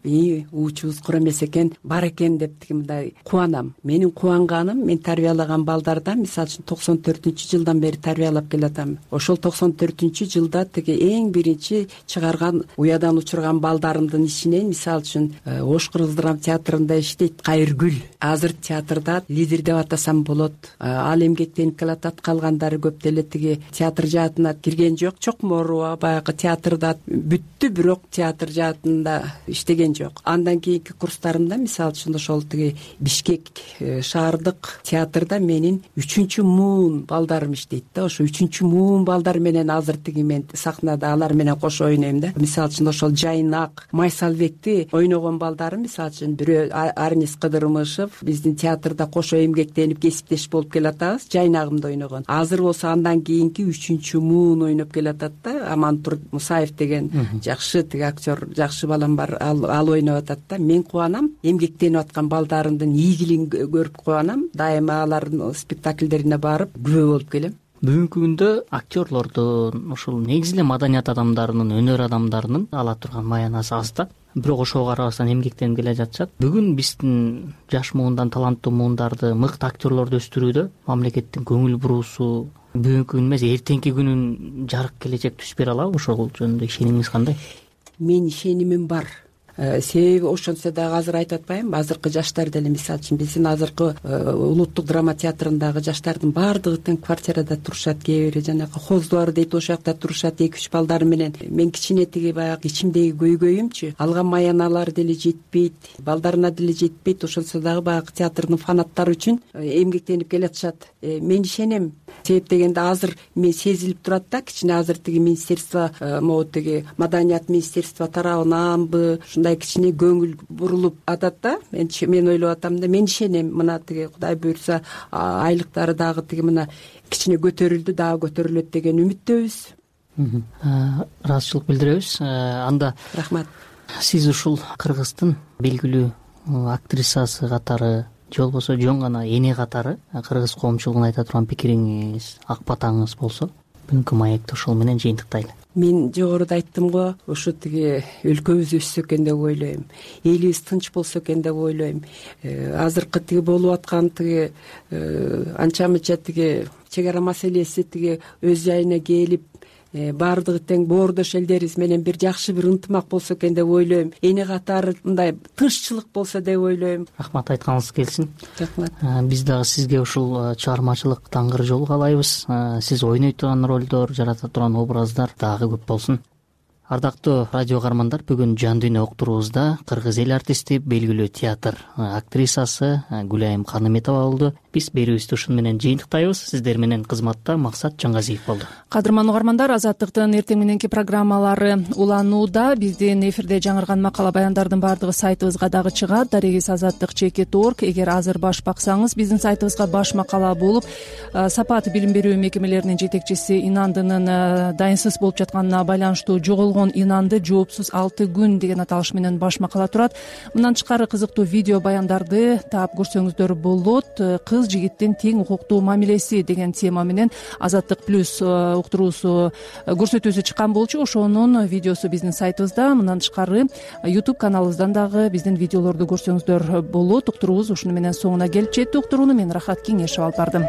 уучубуз кур эмес экен, бар экен деп мындай кубанам. Менин кубанганым, мен тарбиялаган балдардан, мисалы үчүн 94-жылдан бери тарбиялап келатам. Ошол 94-жылда тиги эң биринчи чыгарган уядан учурган балдарымдын ичинен, мисалы үчүн Ош Кыргыз драма театрында иштейт Кайыргүл. Азыр театрда лидер деп атасам болот. Ал эмгектенип келатат, калгандары көп деле тиги театр жаатына кирген жок. Чокморова баягы театрда бүттү, бирок театр жаатында иштеген жок. Андан кийинки курстарымда, мисалы үчүн ошол тиги Бишкек шаардык театрда менин 3-чү муун балдарым иштейт да. Ошо 3-чү муун балдар менен азыр тиги мен сахнада алар менен кошо ойнойм да. Мисалы үчүн ошол Жайнак, Майсалбекти ойногон балдарым, мисалы үчүн бирөө Арнис Кыдырмышев, биздин театрда кошо эмгектенип кесиптеш болуп келатабыз. Жайнагымды ойногон. Азыр болсо андан кийинки 3-чү муун ойноп келатат да. Амантур Мусаев деген жакшы тиги актер, жакшы балам бар. Ал ойноп атат да. Мен кубанам, эмгектенип аткан балдарымдын ийгилигин көрүп кубанам. Дайыма алардын спектакльдерине барып күбө болуп келем. Бүгүнкү күндө актерлордун, ушул негизи эле маданият адамдарынын, өнөр адамдарынын ала турган маянасы аз да. Бирок ошого карабастан эмгектенип келе жатышат. Бүгүн биздин жаш муундан таланттуу муундарды, мыкты актерлорду өстүрүүдө мамлекеттин көңүл буруусу бүгүнкү күн эмес, эртеңки күнүн жарык келечек түз бере алабы? Ошол жөнүндө ишенимиңиз кандай? Менин ишенимим бар. Себеби ошонсо дагы азыр айтып атпаймынбы, азыркы жаштар деле, мисалы үчүн биздин азыркы улуттук драма театрындагы жаштардын баардыгы тең квартирада турушат, кээ бири жанагы хоздубар дейт, ошол жакта турушат 2-3 балдары менен. Мен кичине тиги баягы ичимдеги көйгөйүмчү, алган маяналар деле жетпейт, балдарына деле жетпейт. Ошонсо дагы баягы театрдын фанаттары үчүн эмгектенип келатышат. Мен ишенем, себеп дегенде азыр мен сезилип турат да, кичине азыр тиги министерство могу тиги маданият министерство тарабынанбы ушундай кичине көңүл бурулуп атат да. Мен ойлоп атам да, мен ишенем мына тиги Кудай буйрса айлыктары дагы тиги мына кичине көтөрүлдү, дагы көтөрүлөт деген үмүттөбүз. Ыраазычылык билдиребиз. Анда рахмат. Сиз ушул Кыргыздын белгилүү актрисасы катары же болбосо жөн гана эне катары кыргыз коомчулугуна айта турган пикириңиз, ак батаңыз болсо бүгүнкү маекти ошол менен жыйынтыктайлы. Мен жогоруда айттым го, ушу тиги өлкөбүз өссө экен деп ойлойм, элибиз тынч болсо экен деп ойлойм. Азыркы тиги болуп аткан тиги анча мынча тиги чек ара маселеси тиги өз жайына келип, баардыгы тең боордош элдерибиз менен бир жакшы бир ынтымак болсо экен деп ойлойм. Эне катары мындай тынччылык болсо деп ойлойм. Рахмат, айтканыңыз келсин. Рахмат. Биз дагы сизге ушул чыгармачылык таңгыр жол каалайбыз. Сиз ойной турган ролдор, жарата турган образдар дагы көп болсун. Ардактуу радио каармандар, бүгүн Жан дүйнө уктуруубузда кыргыз эл артисти, белгилүү театр актрисасы Гүлайым Каныметова болду. Биз берүүбүздү ушун менен жыйынтыктайбыз. Сиздер менен кызматта Максат Жаңгазиев болду. Кадырман угармандар, Азаттыктын эртең мененки программалары уланууда. Биздин эфирде жаңырган макала баяндардын баардыгы сайтыбызга дагы чыгат. Дарегиз azattik.org. Эгер азыр баш баксаңыз, биздин сайтыбызга баш макала болуп, Сапат билим берүү мекемелеринин жетекчиси Инандынын дайынсыз болуп жатканына байланыштуу жоголгон Инанды жоопсуз 6 күн деген аталыш менен баш макала турат. Мындан тышкары кызыктуу видео баяндарды таап көрсөңүздөр болот. Кыз жигиттин тең укуктуу мамилеси деген тема менен Азаттык плюс уктуруусу көрсөтүүсү чыккан болчу. Ошонун видеосу биздин сайтыбызда. Мындан тышкары YouTube каналыбыздан дагы биздин видеолорду көрсөңүздөр болот. Уктуруубуз ушуну менен соңуна келип жетти. Уктурууну мен Рахат Кеңешов алып бардым.